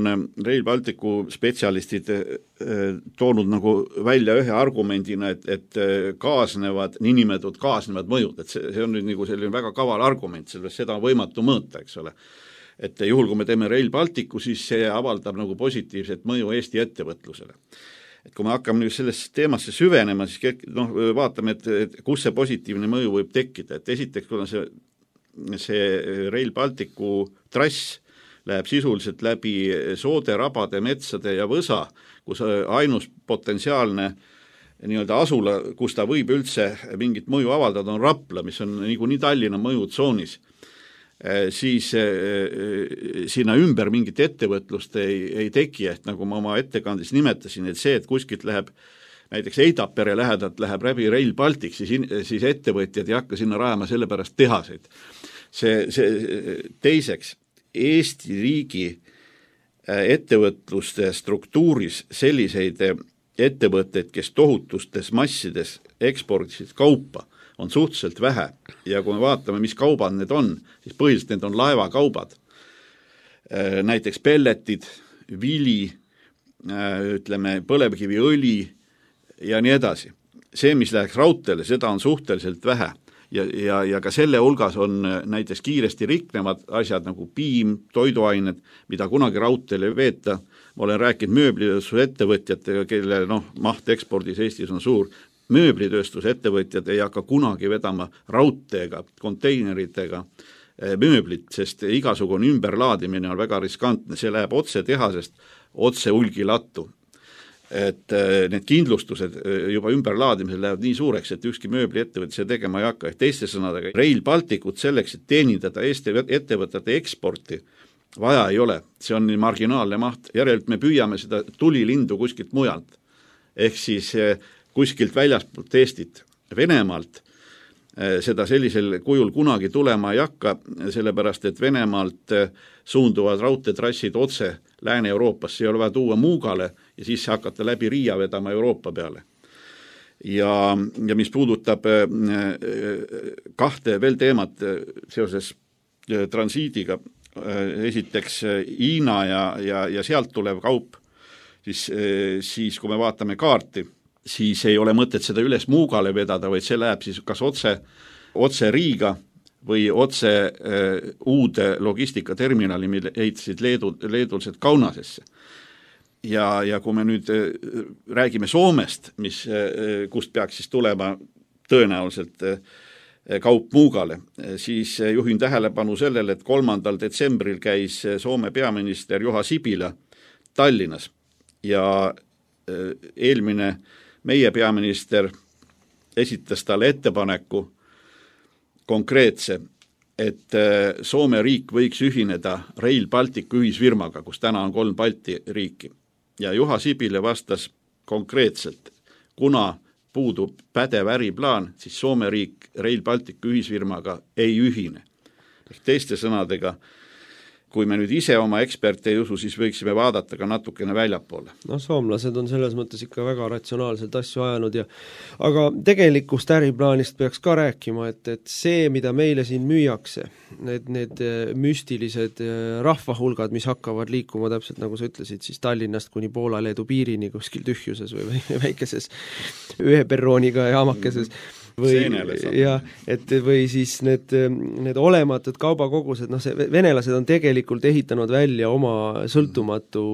Rail Balticu spetsialistid äh, toonud nagu välja ühe argumendina, et, et kaasnevad, niinimetatud kaasnevad mõjud, et see, see on nüüd nagu selline väga kaval argument, sellest seda on võimatu mõõta, eks ole. Et juhul, kui me teeme Rail Balticu, siis see avaldab nagu positiivset mõju Eesti ettevõtlusele. Et kui me hakkame nüüd sellest teemasse süvenema, siis noh, vaatame, et, et kus see positiivne mõju võib tekkida, et esiteks, kui on see see Rail Balticu trass läheb sisuliselt läbi soode, rabade, metsade ja võsa, kus ainus potentsiaalne nii-öelda asula, kus ta võib üldse mingit mõju avaldada, on Rapla, mis on nagu nii Tallinna mõjutsoonis, siis sinna ümber mingit ettevõtlust ei, ei teki, et nagu ma oma ettekandes nimetasin, et see, et kuskilt läheb näiteks Eidapere lähedalt läheb läbi Rail Baltic, siis, siis ettevõtjad ei hakka sinna rajama sellepärast tehaseid. See, see teiseks, Eesti riigi ettevõtluste struktuuris selliseid ettevõtteid, kes tohutustes massides ekspordisid kaupa, on suhteliselt vähe. Ja kui me vaatame, mis kaubad need on, siis põhiliselt need on laevakaubad. Näiteks pelletid, vili, ütleme, põlevkiviõli, ja nii edasi. See, mis läheks raudteele, seda on suhteliselt vähe ja, ja, ja ka selle hulgas on näiteks kiiresti riknevad asjad nagu piim, toiduained, mida kunagi raudteele ei veeta. Ma olen rääkinud mööblitööstuse ettevõtjatega, kelle noh, maht ekspordis Eestis on suur. Mööblitööstuse ettevõtjad ei hakka kunagi vedama raudteega, konteineritega mööblit, sest igasugune ümberlaadimine on väga riskantne. See läheb otse tehasest, otse hulgilattu. Et need kindlustused juba ümberlaadimisel lähevad nii suureks, et ükski mööbliettevõte see tegema ei hakka. Teiste sõnadega, Rail Balticut selleks, et teenindada Eesti ettevõtete eksporti, vaja ei ole. See on nii marginaalne maht. Järelikult me püüame seda tulilindu kuskilt mujalt. Ehk siis kuskilt väljaspoolt Eestit, Venemaalt, seda sellisel kujul kunagi tulema ei hakka, sellepärast, et Venemaalt suunduvad raudteetrassid otse Lääne-Euroopasse, ei ole vaja tuua Muugale ja siis hakata läbi Riia vedama Euroopa peale. Ja, ja mis puudutab kahte veel teemat seoses transiidiga, esiteks Hiina ja, ja, ja sealt tulev kaup, siis, siis kui me vaatame kaarti, siis ei ole mõtet seda üles Muugale vedada, vaid see läheb siis kas otse, otse Riiga või otse äh, uude logistikaterminali, mille ehitasid Leedu, leedulsed Kaunasesse. Ja, ja kui me nüüd äh, räägime Soomest, mis, äh, kust peaks siis tulema tõenäoliselt äh, kaup Muugale, siis äh, juhin tähelepanu sellele, et kolmandal detsembril käis Soome peaminister Juha Sipilä Tallinnas ja äh, eelmine meie peaminister esitas talle ettepaneku konkreetse, et Soome riik võiks ühineda Rail Balticu ühisfirmaga, kus täna on kolm Balti riiki. Ja Juha Sipilä vastas konkreetselt, kuna puudub pädev äriplaan, siis Soome riik Rail Balticu ühisfirmaga ei ühine. Ehk teiste sõnadega, kui me nüüd ise oma eksperte ei usu, siis võiksime vaadata ka natukene väljapoole. No soomlased on selles mõttes ikka väga ratsionaalselt asju ajanud ja aga tegelikust äriplaanist peaks ka rääkima, et, et see, mida meile siin müüakse, need, need müstilised rahvahulgad, mis hakkavad liikuma täpselt nagu sa ütlesid, siis Tallinnast kuni Poola-Leedu piirini kuskil tühjuses või väikeses ühe perrooniga jaamakeses või, ja, et, või siis need, need olematud kaubakogused, noh see venelased on tegelikult ehitanud välja oma sõltumatu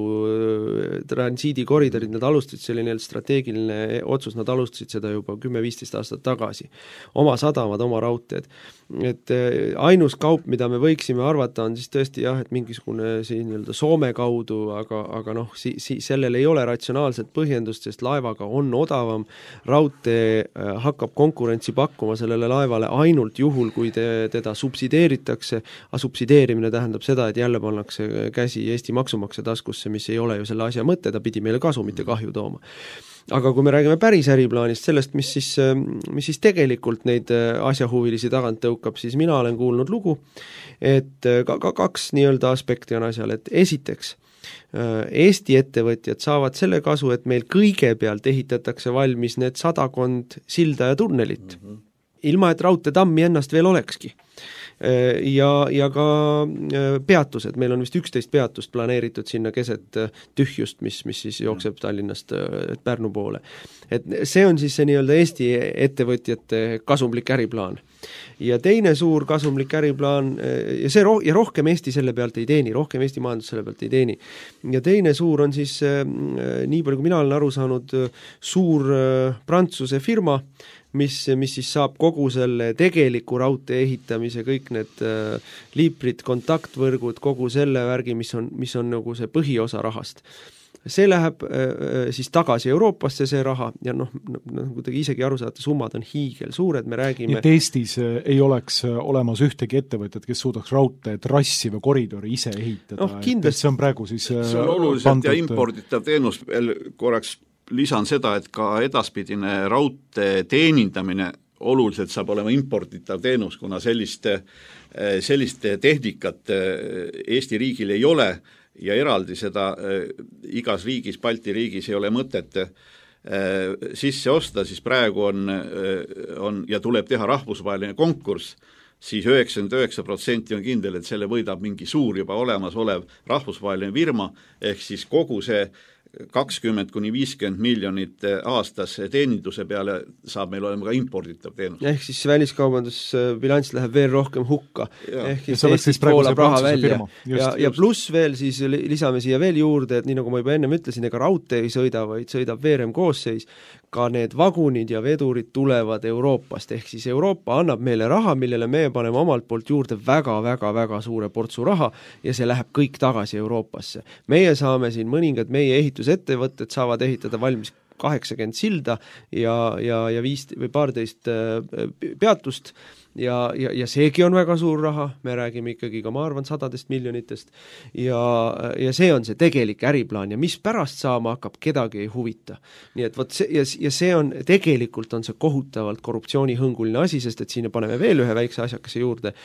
transiidikoridorid, nad alustasid selline strateegiline otsus, nad alustasid seda juba kümme-viisteist aastat tagasi. Oma sadamad, oma raudteed. Et ainus kaup, mida me võiksime arvata, on siis tõesti jah, et mingisugune siin nii-öelda Soome kaudu, aga, aga noh, si, si, sellel ei ole ratsionaalset põhjendust, sest laevaga on odavam, raudtee hakkab konkurentsi pakkuma sellele laevale ainult juhul, kui te, teda subsideeritakse, aga subsideerimine tähendab seda, et jälle pannakse käsi Eesti maksumaksja taskusse, mis ei ole ju selle asja mõte, ta pidi meile kasu, mitte kahju tooma. Aga kui me räägime päris äriplaanist, sellest, mis siis, mis siis tegelikult neid asjahuvilisi tagant tõukab, siis mina olen kuulnud lugu, et ka, ka kaks nii-öelda aspekti on asjal, et esiteks Eesti ettevõtjad saavad selle kasu, et meil kõigepealt ehitatakse valmis need sadakond silda ja tunnelit, mm-hmm. ilma et raudteetammi ennast veel olekski. Ja, ja ka peatused, meil on vist üksteist peatust planeeritud sinna keset tühjust, mis, mis siis jookseb Tallinnast Pärnu poole. Et see on siis see nii-öelda Eesti ettevõtjate kasumlik äriplaan. Ja teine suur kasumlik äriplaan, ja, see ro- ja rohkem Eesti selle pealt ei teeni, rohkem Eesti majandus selle pealt ei teeni. Ja teine suur on siis, nii palju kui mina olen aru saanud, suur Prantsuse firma, mis, mis siis saab kogu selle tegeliku raudtee ehitamise, kõik need äh, liiprid, kontaktvõrgud, kogu selle värgi, mis on, mis on nagu see põhiosa rahast. See läheb äh, siis tagasi Euroopasse, see raha, ja noh, nagu te isegi aru saate, summad on hiigel suured, me räägime... Et Eestis ei oleks olemas ühtegi ettevõtet, kes suudaks raudtee trassi või koridori ise ehitada, no, kindlasti... et see on praegu siis see on oluliselt pandud... ja imporditav teenus, veel korraks lisan seda, et ka edaspidine raudtee teenindamine oluliselt saab olema imporditav teenus, kuna selliste, selliste tehnikat Eesti riigil ei ole ja eraldi seda igas riigis, Balti riigis ei ole mõtet sisse osta, siis praegu on, on ja tuleb teha rahvusvaheline konkurss, siis üheksakümmend üheksa protsenti on kindel, et selle võidab mingi suur juba olemasolev rahvusvaheline firma, ehk siis kogu see kakskümmend kuni viiskümmend miljonit aastas teeninduse peale saab meil olema ka imporditav teenus. Ehk siis väliskaubandusbilanss läheb veel rohkem hukka. Ja. Ehk siis Eestist voolab raha välja. Just, ja, ja pluss veel siis lisame siia veel juurde, et nii nagu ma juba ennem ütlesin, ega raudtee ei sõida, vaid sõidab veerem koosseis, ka need vagunid ja vedurid tulevad Euroopast, ehk siis Euroopa annab meile raha, millele me paneme omalt poolt juurde väga-väga-väga suure portsu raha ja see läheb kõik tagasi Euroopasse. Meie saame siin mõningad meie ehitusettevõtted saavad ehitada valmis kaheksakümmend silda ja, ja, ja viis või paarteist peatust ja, ja, ja seegi on väga suur raha, me räägime ikkagi ka, ma arvan, sadadest miljonitest ja, ja see on see tegelik äriplaan ja mis pärast saama hakkab, kedagi ei huvita. Nii et võt see, ja, ja see on, tegelikult on see kohutavalt korruptsioonihõnguline asi, sest et siin paneme veel ühe väikse asjakese juurde.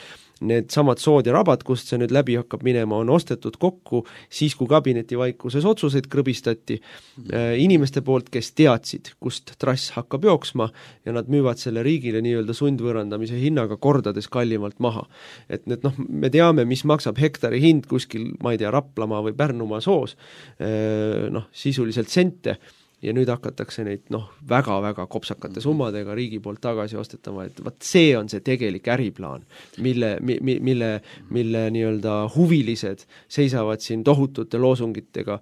Need samad sood ja rabad, kust see nüüd läbi hakkab minema, on ostetud kokku siis, kui kabineti vaikuses otsuseid krõbistati äh, inimeste poolt, kes teadsid, kust trass hakkab jooksma ja nad müüvad selle riigile nii-öelda sundvõõrandamise hinnaga kordades kallimalt maha. Et need, noh, me teame, mis maksab hektari hind kuskil, ma ei tea, Raplamaa või Pärnumaa soos, äh, noh, sisuliselt sente, ja nüüd hakatakse neid noh, väga-väga kopsakate summadega riigi poolt tagasi ostetama, et vaat see on see tegelik äriplaan, mille, mi, mille, mille nii-öelda huvilised seisavad siin tohutute loosungitega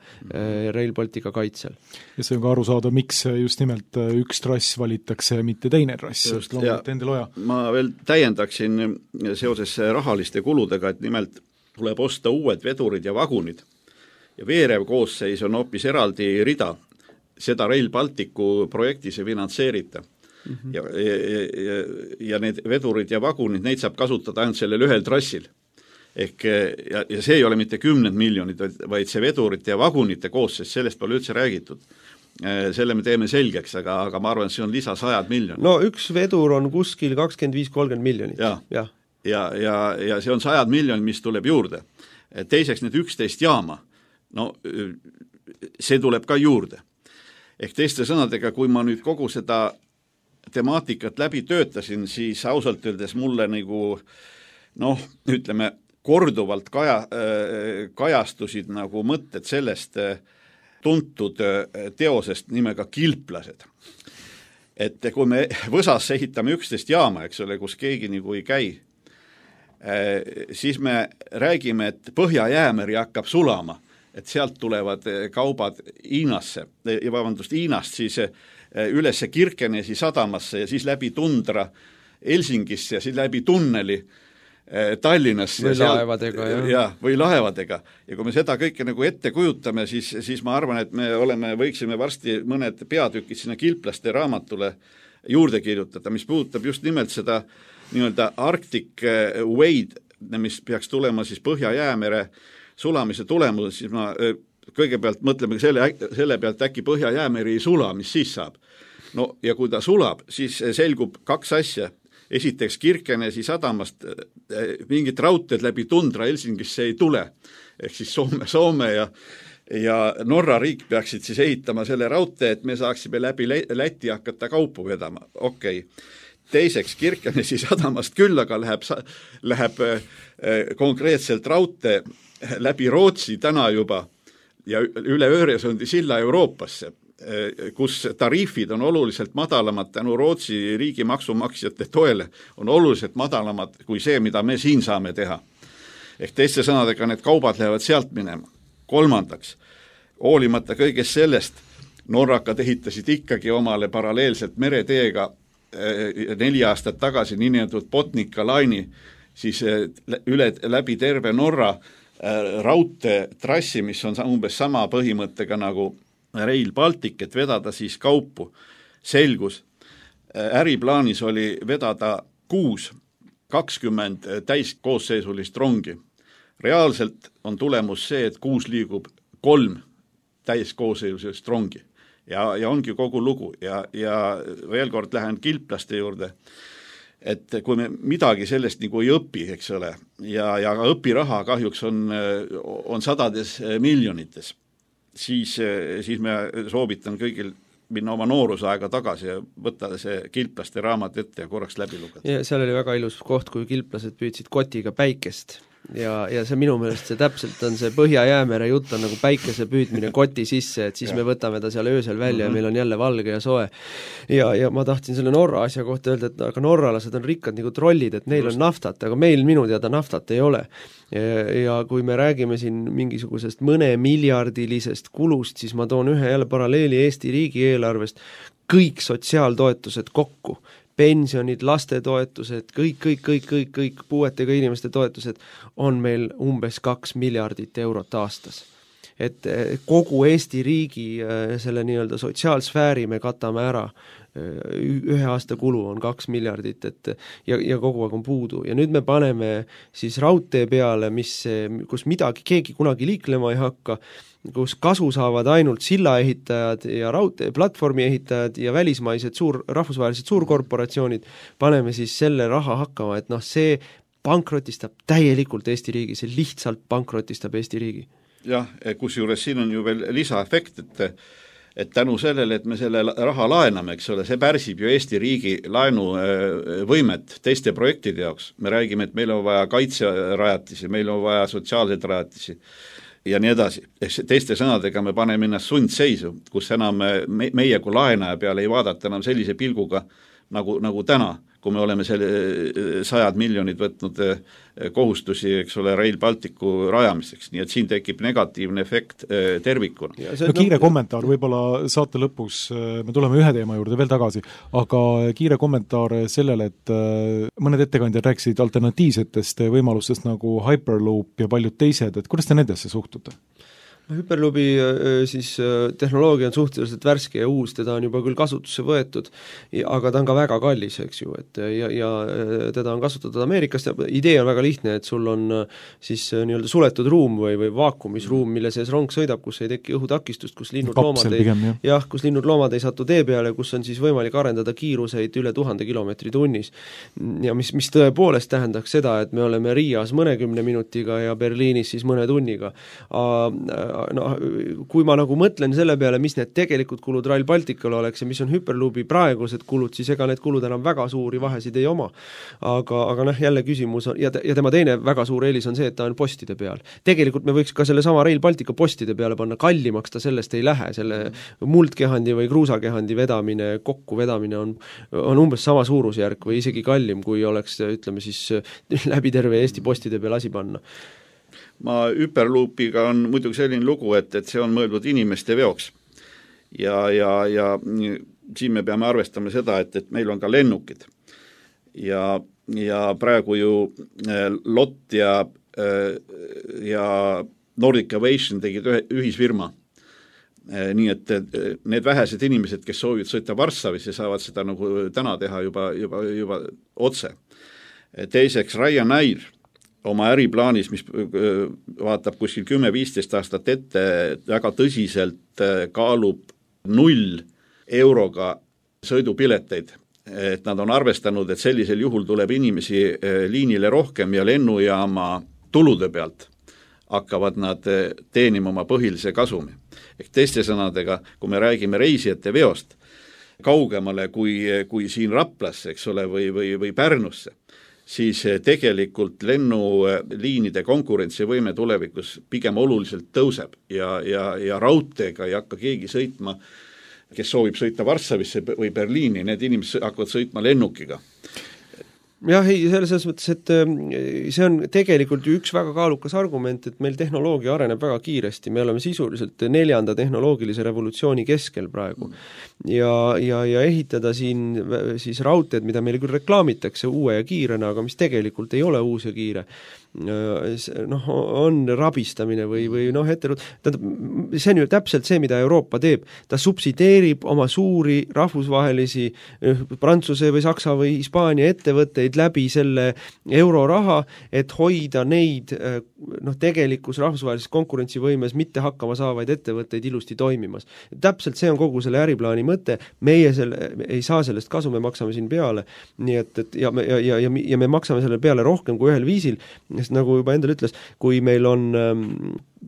Rail Baltica kaitsel. Ja see on ka aru saada, miks just nimelt üks trass valitakse, mitte teine trass, just loomulikult Endel Oja. Ma veel täiendaksin seoses rahaliste kuludega, et nimelt tuleb osta uued vedurid ja vagunid ja veerev koosseis on hoopis eraldi rida. Seda Rail Balticu projektis ei finantseerita. Mm-hmm. Ja, ja, ja, ja need vedurid ja vagunid, neid saab kasutada ainult sellel ühel trassil. Ehk, ja, ja see ei ole mitte kümned miljonid, vaid see vedurite ja vagunite koosseis, sellest pole üldse räägitud. Selle me teeme selgeks, aga, aga ma arvan, et see on lisa sajad miljonid. No üks vedur on kuskil kakskümmend viis kolmkümmend miljonit. Ja, ja. Ja, ja, ja see on sajad miljonid, mis tuleb juurde. Teiseks need üksteist jaama, no see tuleb ka juurde. Ehk teiste sõnadega, kui ma nüüd kogu seda temaatikat läbi töötasin, siis ausalt öeldes mulle nagu, noh, ütleme, korduvalt kaja, kajastusid nagu mõtted sellest tuntud teosest nimega Kilplased. Et kui me Võsasse ehitame üksteist jaama, eks ole, kus keegi nagu ei käi, siis me räägime, et Põhja-Jäämeri hakkab sulama, et sealt tulevad kaubad Hiinasse, ja vabandust, Hiinast siis ülesse Kirkenesi sadamasse ja siis läbi tundra Helsingisse ja siis läbi tunneli Tallinnasse. Või laevadega, jah. Ja, või laevadega. Ja kui me seda kõike nagu ette kujutame, siis, siis ma arvan, et me oleme, võiksime varsti mõned peatükid sinna Kilplaste raamatule juurde kirjutada, mis puudutab just nimelt seda nii-öelda Arctic Wade, mis peaks tulema siis Põhja-Jäämere sulamise tulemus, siis ma kõigepealt mõtleme selle, selle pealt äkki Põhja-Jäämeri ei sula, mis siis saab. No ja kui ta sulab, siis selgub kaks asja. Esiteks Kirkenesi sadamast mingit raudteed läbi tundra Helsingisse ei tule. Ehk siis Soome, Soome ja, ja Norra riik peaksid siis ehitama selle raudtee, et me saaksime läbi Läti hakata kaupu vedama. Okei. Okay. Teiseks Kirkenesi sadamast küll, aga läheb, läheb konkreetselt raudtee läbi Rootsi täna juba ja üle Öresundi silla Euroopasse, kus tariifid on oluliselt madalamad tänu Rootsi riigi maksumaksjate toele, on oluliselt madalamad kui see, mida me siin saame teha. Ehk teiste sõnadega need kaubad lähevad sealt minema. Kolmandaks, hoolimata kõigest sellest, norrakad ehitasid ikkagi omale paralleelselt mereteega neli aastat tagasi niinimetatud Botnica laini, siis üle, läbi terve Norra raudtee trassi, mis on umbes sama põhimõttega nagu Rail Baltic, et vedada siis kaupu. Selgus, äriplaanis oli vedada kuus, kakskümmend täiskoosseisulist rongi. Reaalselt on tulemus see, et kuus liigub kolm täiskoosseisulist rongi. Ja, ja ongi kogu lugu ja, ja veel kord lähen Kilplaste juurde, et kui me midagi sellest nagu ei õpi, eks ole, ja, ja õpiraha kahjuks on, on sadades miljonites, siis, siis me soovitan kõigil minna oma noorusaega tagasi ja võtta see Kilplaste raamat ette ja korraks läbi lugeda. Ja seal oli väga ilus koht, kui kilplased püüdsid kotiga päikest. Ja, ja see minu meelest see täpselt on see Põhja-Jäämere jutt on nagu päikese püüdmine koti sisse, et siis ja. Me võtame ta seal öösel välja mm-hmm. ja meil on jälle valge ja soe. Ja, ja ma tahtsin selle Norra asja kohta öelda, et aga norralased on rikkad nagu trollid, et neil Just. On naftat, aga meil minu teada naftat ei ole. Ja, ja kui me räägime siin mingisugusest mõne miljardilisest kulust, siis ma toon ühe jälle paralleeli Eesti riigi eelarvest, kõik sotsiaaltoetused kokku, pensionid, lastetoetused, kõik, kõik, kõik, kõik, kõik puuetega inimeste toetused on meil umbes kaks miljardit eurot aastas. Et kogu Eesti riigi selle nii-öelda sotsiaalsfääri me katame ära, ühe aasta kulu on kaks miljardit, et ja, ja kogu aeg on puudu. Ja nüüd me paneme siis raudtee peale, mis, kus midagi keegi kunagi liiklema ei hakka, kus kasu saavad ainult sillaehitajad ja raudtee platvormi ehitajad ja välismaised suur, rahvusvahelised suurkorporatsioonid, paneme siis selle raha hakkama, et noh, see pankrotistab täielikult Eesti riigi, see lihtsalt pankrotistab Eesti riigi. Jah, kusjuures siin on ju veel lisaefekt, et, et tänu sellele, et me selle raha laename, eks ole, see pärsib ju Eesti riigi laenuvõimet teiste projektide jaoks. Me räägime, et meil on vaja kaitserajatisi, meil on vaja sotsiaalseid rajatisi. ja nii edasi. Teiste sõnadega me paneme ennast sundseisu, kus enam me, meie kui laenaja peale ei vaadata enam sellise pilguga nagu, nagu täna, kui me oleme selle sajad miljonid võtnud kohustusi, eks ole, Rail Balticu rajamiseks, nii et siin tekib negatiivne efekt tervikuna. No kiire kommentaar, võib-olla saate lõpus, me tuleme ühe teema juurde veel tagasi, aga kiire kommentaar sellele, et mõned ettekandjad rääkisid alternatiivsetest võimalustest nagu Hyperloop ja paljud teised, et kuidas te nendesse suhtute? Hyperloopi siis tehnoloogia on suhteliselt värske ja uus, teda on juba küll kasutusse võetud, aga ta on ka väga kallis, eks ju, et ja, ja teda on kasutatud Ameerikast ja idee on väga lihtne, et sul on siis nii-öelda suletud ruum või, või vaakumisruum, mille sees rong sõidab, kus ei teki õhutakistust, kus linnud loomad ei, pigem, jah. jah, kus linnud loomad ei satu tee peale, kus on siis võimalik arendada kiiruseid üle tuhande kilomeetri tunnis. Ja mis, mis tõepoolest tähendaks seda, et me oleme Riias mõnekümne minutiga ja Berliinis siis mõne tunniga. No, kui ma nagu mõtlen selle peale, mis need tegelikult kulud Rail Balticule oleks ja mis on Hyperloopi praegused kulud, siis ega need kulud enam väga suuri vahesid ei oma. Aga, aga noh, jälle küsimus on, ja, ja tema teine väga suur eelis on see, et ta on postide peal. Tegelikult me võiks ka selle sama Rail Baltica postide peale panna, kallimaks ta sellest ei lähe, selle muldkehandi või kruusakehandi vedamine, kokku vedamine on, on umbes sama suurusjärk või isegi kallim, kui oleks, ütleme siis, läbi terve Eesti postide peal asi panna. Ma Hyperloopiga on muidugi selline lugu, et, et see on mõeldud inimeste veoks. Ja, ja, ja siin me peame arvestama seda, et, et meil on ka lennukid. Ja, ja praegu ju L O T ja, ja Nordic Aviation tegid ühisfirma. Nii et need vähesed inimesed, kes soovivad sõita Varssavisse, saavad seda nagu täna teha juba, juba, juba otse. Teiseks Ryanair oma äriplaanis, mis vaatab kuskil kümme viisteist aastat ette, väga tõsiselt kaalub null euroga sõidupileteid. Et nad on arvestanud, et sellisel juhul tuleb inimesi liinile rohkem ja lennujaama tulude pealt hakkavad nad teenima oma põhilise kasumi. Ehk teiste sõnadega, kui me räägime reisijate veost kaugemale kui, kui siin Raplasse, eks ole, või, või, või Pärnusse, siis tegelikult lennuliinide konkurentsivõime tulevikus pigem oluliselt tõuseb ja, ja, ja raudteega ei hakka keegi sõitma, kes soovib sõita Varssavisse või Berliini, need inimesed hakkavad sõitma lennukiga. Jah, ei, selles mõttes, et see on tegelikult ju üks väga kaalukas argument, et meil tehnoloogia areneb väga kiiresti, me oleme sisuliselt neljanda tehnoloogilise revolutsiooni keskel praegu. Ja, ja, ja ehitada siin siis raudteed, mida meile küll reklaamitakse uue ja kiirena, aga mis tegelikult ei ole uus ja kiire, noh, on rabistamine või, või noh, ette, see on ju täpselt see, mida Euroopa teeb. Ta subsideerib oma suuri rahvusvahelisi Prantsuse või Saksa või Hispaania ettevõtteid läbi selle euroraha, et hoida neid noh, tegelikus rahvusvahelises konkurentsivõimes mitte hakkama saavaid ettevõtteid ilusti toimimas. Täpselt see on kogu selle äriplaani mõte, meie selle, ei saa sellest kasu, me maksame siin peale, nii et, et ja, ja, ja, ja, ja me maksame selle peale rohkem kui ühel viisil, sest nagu juba endal ütles, kui meil on ähm,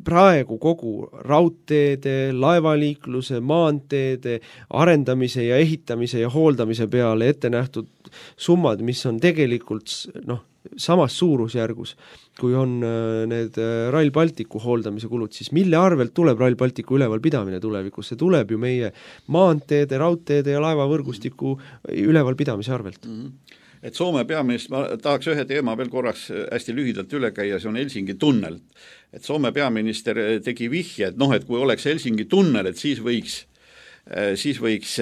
praegu kogu raudteede, laevaliikluse, maanteede arendamise ja ehitamise ja hooldamise peale ette nähtud summad, mis on tegelikult noh, samas suurusjärgus, kui on äh, need äh, Rail Balticu hooldamise kulud, siis mille arvelt tuleb Rail Balticu ülevalpidamine tulevikus? See tuleb ju meie maanteede, raudteede ja laevavõrgustiku ülevalpidamise arvelt. Mm-hmm. Et Soome peaminister, ma tahaks ühe teema veel korraks hästi lühidalt üle käia, see on Helsingi tunnel. Et Soome peaminister tegi vihje, et noh, et kui oleks Helsingi tunnel, et siis võiks, siis võiks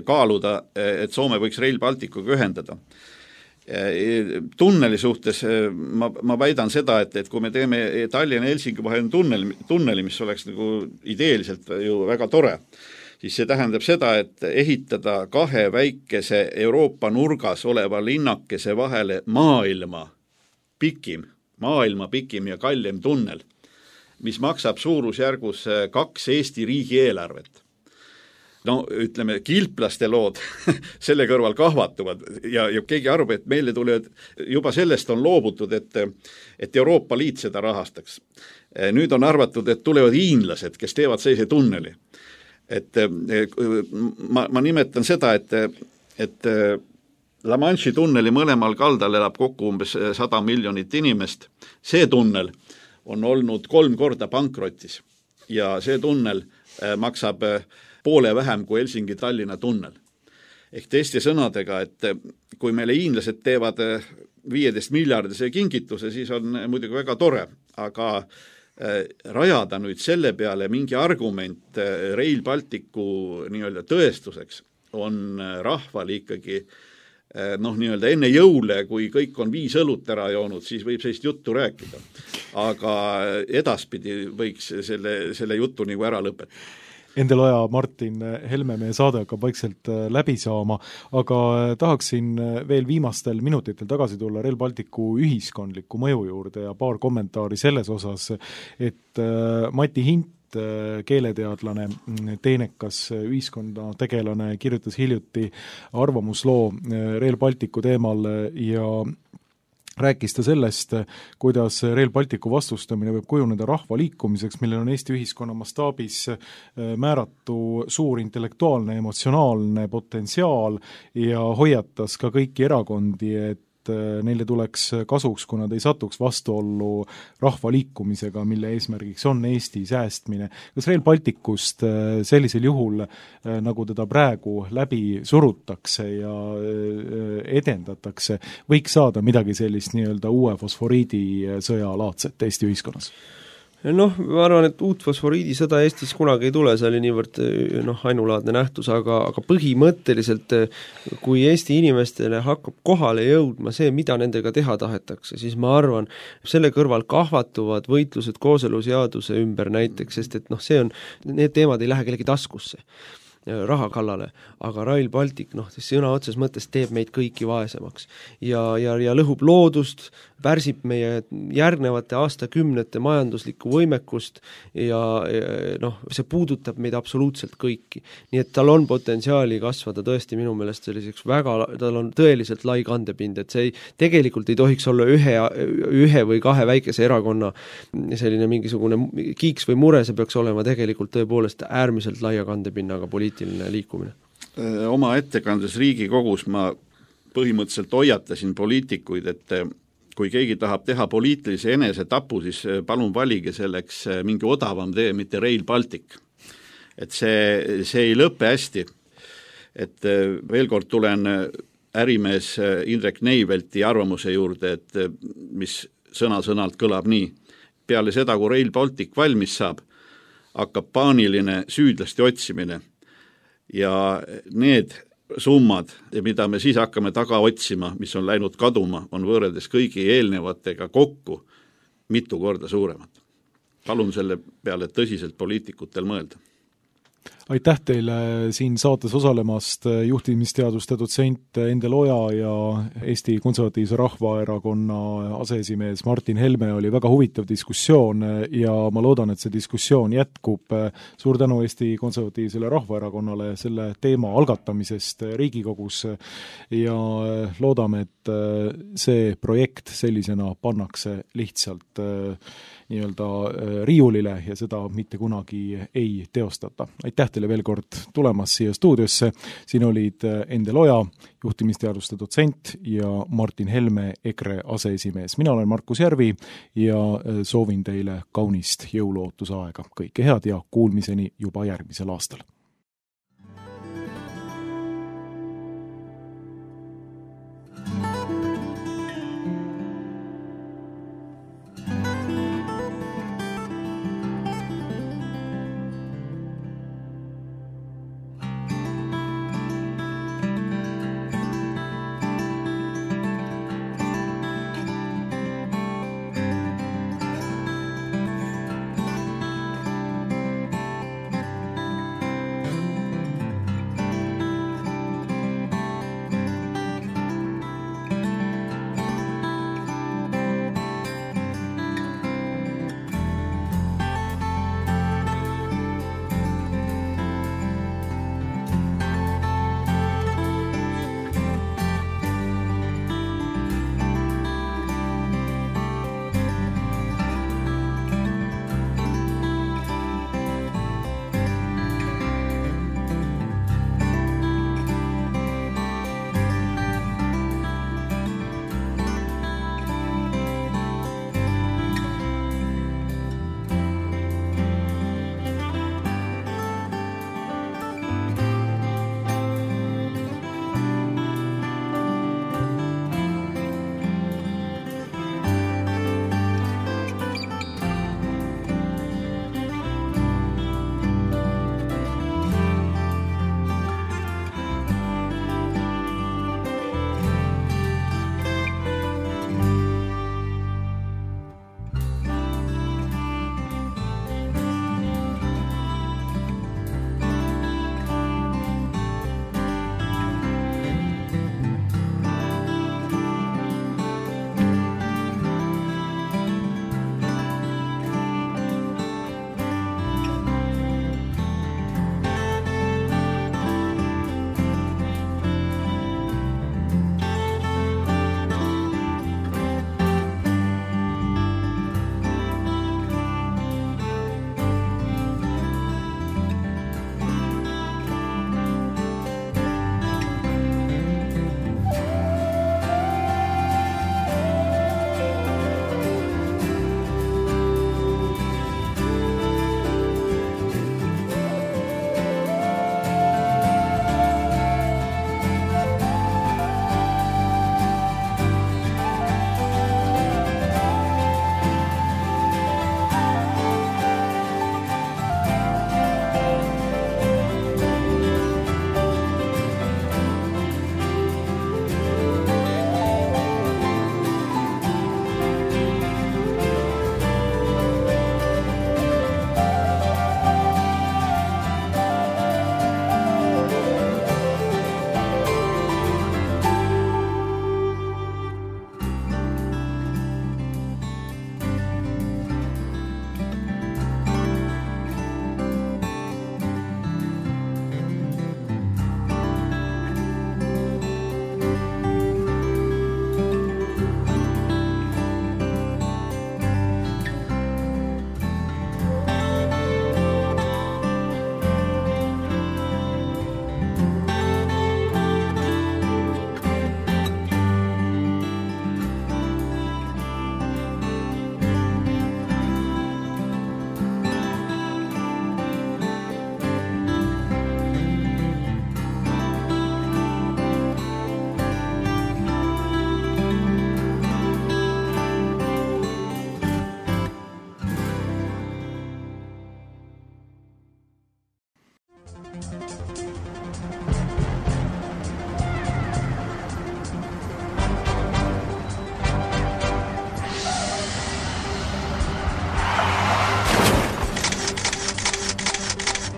kaaluda, et Soome võiks Rail Balticuga ühendada. Tunneli suhtes ma, ma väidan seda, et, et kui me teeme Tallinna Helsingi vahel tunnel, tunneli, mis oleks nagu ideeliselt ju väga tore, siis see tähendab seda, et ehitada kahe väikese Euroopa nurgas oleva linnakese vahele maailma pikim, maailma pikim ja kallim tunnel, mis maksab suurusjärgus kaks Eesti riigi eelarvet. No ütleme, kilplaste lood selle kõrval kahvatuvad ja, ja keegi arvab, et meile tulevad, juba sellest on loobutud, et, et Euroopa Liit seda rahastaks. Nüüd on arvatud, et tulevad hiinlased, kes teevad sellise tunneli. Et ma, ma nimetan seda, et, et La Manche'i tunneli mõlemal kaldal elab kokku umbes sada miljonit inimest. See tunnel on olnud kolm korda pankrotis ja see tunnel maksab poole vähem kui Helsingi-Tallinna tunnel. Ehk teiste sõnadega, et kui meile hiinlased teevad viieteist miljardise kingituse, siis on muidugi väga tore, aga rajada nüüd selle peale mingi argument Rail Balticu nii-öelda tõestuseks on rahval ikkagi noh, nii-öelda enne jõule, kui kõik on viis õlut ära joonud, siis võib sellist juttu rääkida. Aga edaspidi võiks selle, selle jutu nagu ära lõpetada. Endel Oja, Martin Helme, meie saade hakkab vaikselt läbi saama, aga tahaksin veel viimastel minutitel tagasi tulla Rail Balticu ühiskondliku mõju juurde ja paar kommentaari selles osas, et Mati Hint, keeleteadlane, teenekas ühiskonna tegelane, kirjutas hiljuti arvamusloo Rail Balticu teemal ja rääkis ta sellest, kuidas Rail Balticu vastustamine võib kujuneda rahvaliikumiseks, millel on Eesti ühiskonna mastaabis määratu suur intellektuaalne, emotsionaalne potentsiaal ja hoiatas ka kõiki erakondi, et neile tuleks kasuks, kui nad ei satuks vastuollu rahvaliikumisega, mille eesmärgiks on Eesti säästmine. Kas Rail Balticust sellisel juhul, nagu teda praegu läbi surutakse ja edendatakse, võiks saada midagi sellist nii-öelda uue fosforiidisõja laadset Eesti ühiskonnas? Noh, ma arvan, et uut fosforiidisõda Eestis kunagi ei tule, see oli niivõrd noh, ainulaadne nähtus, aga, aga põhimõtteliselt kui Eesti inimestele hakkab kohale jõudma see, mida nendega teha tahetakse, siis ma arvan, selle kõrval kahvatuvad võitlused kooseluseaduse ümber näiteks, sest et noh, see on, need teemad ei lähe kellegi taskusse raha kallale, aga Rail Baltic, noh, sõna otses mõttes teeb meid kõiki vaesemaks ja, ja, ja lõhub loodust, pärsib meie järgnevate aastakümnete majanduslikku võimekust ja, ja noh, see puudutab meid absoluutselt kõiki. Nii et tal on potentsiaali kasvada tõesti minu meelest selliseks väga, tal on tõeliselt lai kandepind, et see ei, tegelikult ei tohiks olla ühe, ühe või kahe väikese erakonna selline mingisugune kiiks või mure, see peaks olema tegelikult tõepoolest äärmiselt laia kandepinnaga poliitiline liikumine. Oma ettekandes Riigikogus ma põhimõtteliselt hoiatasin poliitikuid, et kui keegi tahab teha poliitilise enesetapu, siis palun valige selleks mingi odavam tee, mitte Rail Baltic. Et see, see ei lõpe hästi. Et veel kord tulen ärimees Indrek Neivelti arvamuse juurde, et mis sõna-sõnalt kõlab nii. Peale seda, kui Rail Baltic valmis saab, hakkab paaniline süüdlasti otsimine ja need summad, mida me siis hakkame taga otsima, mis on läinud kaduma, on võrreldes kõigi eelnevatega kokku mitu korda suuremad. Palun selle peale tõsiselt poliitikutel mõelda. Aitäh teile siin saates osalemast, juhtimisteaduste dotsent Endel Oja ja Eesti Konservatiivse Rahvaerakonna aseesimees Martin Helme. Oli väga huvitav diskussioon ja ma loodan, et see diskussioon jätkub. Suur tänu Eesti Konservatiivsele Rahvaerakonnale selle teema algatamisest Riigikogus ja loodame, et see projekt sellisena pannakse lihtsalt nii-öelda riiulile ja seda mitte kunagi ei teostata. Aitäh teile veel kord tulemas siia stuudiosse. Siin olid Endel Oja, juhtimisteaduste dotsent ja Martin Helme, EKRE aseesimees. Mina olen Markus Järvi ja soovin teile kaunist jõulootusaega. Kõike head ja kuulmiseni juba järgmisel aastal.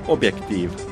Objektiiv.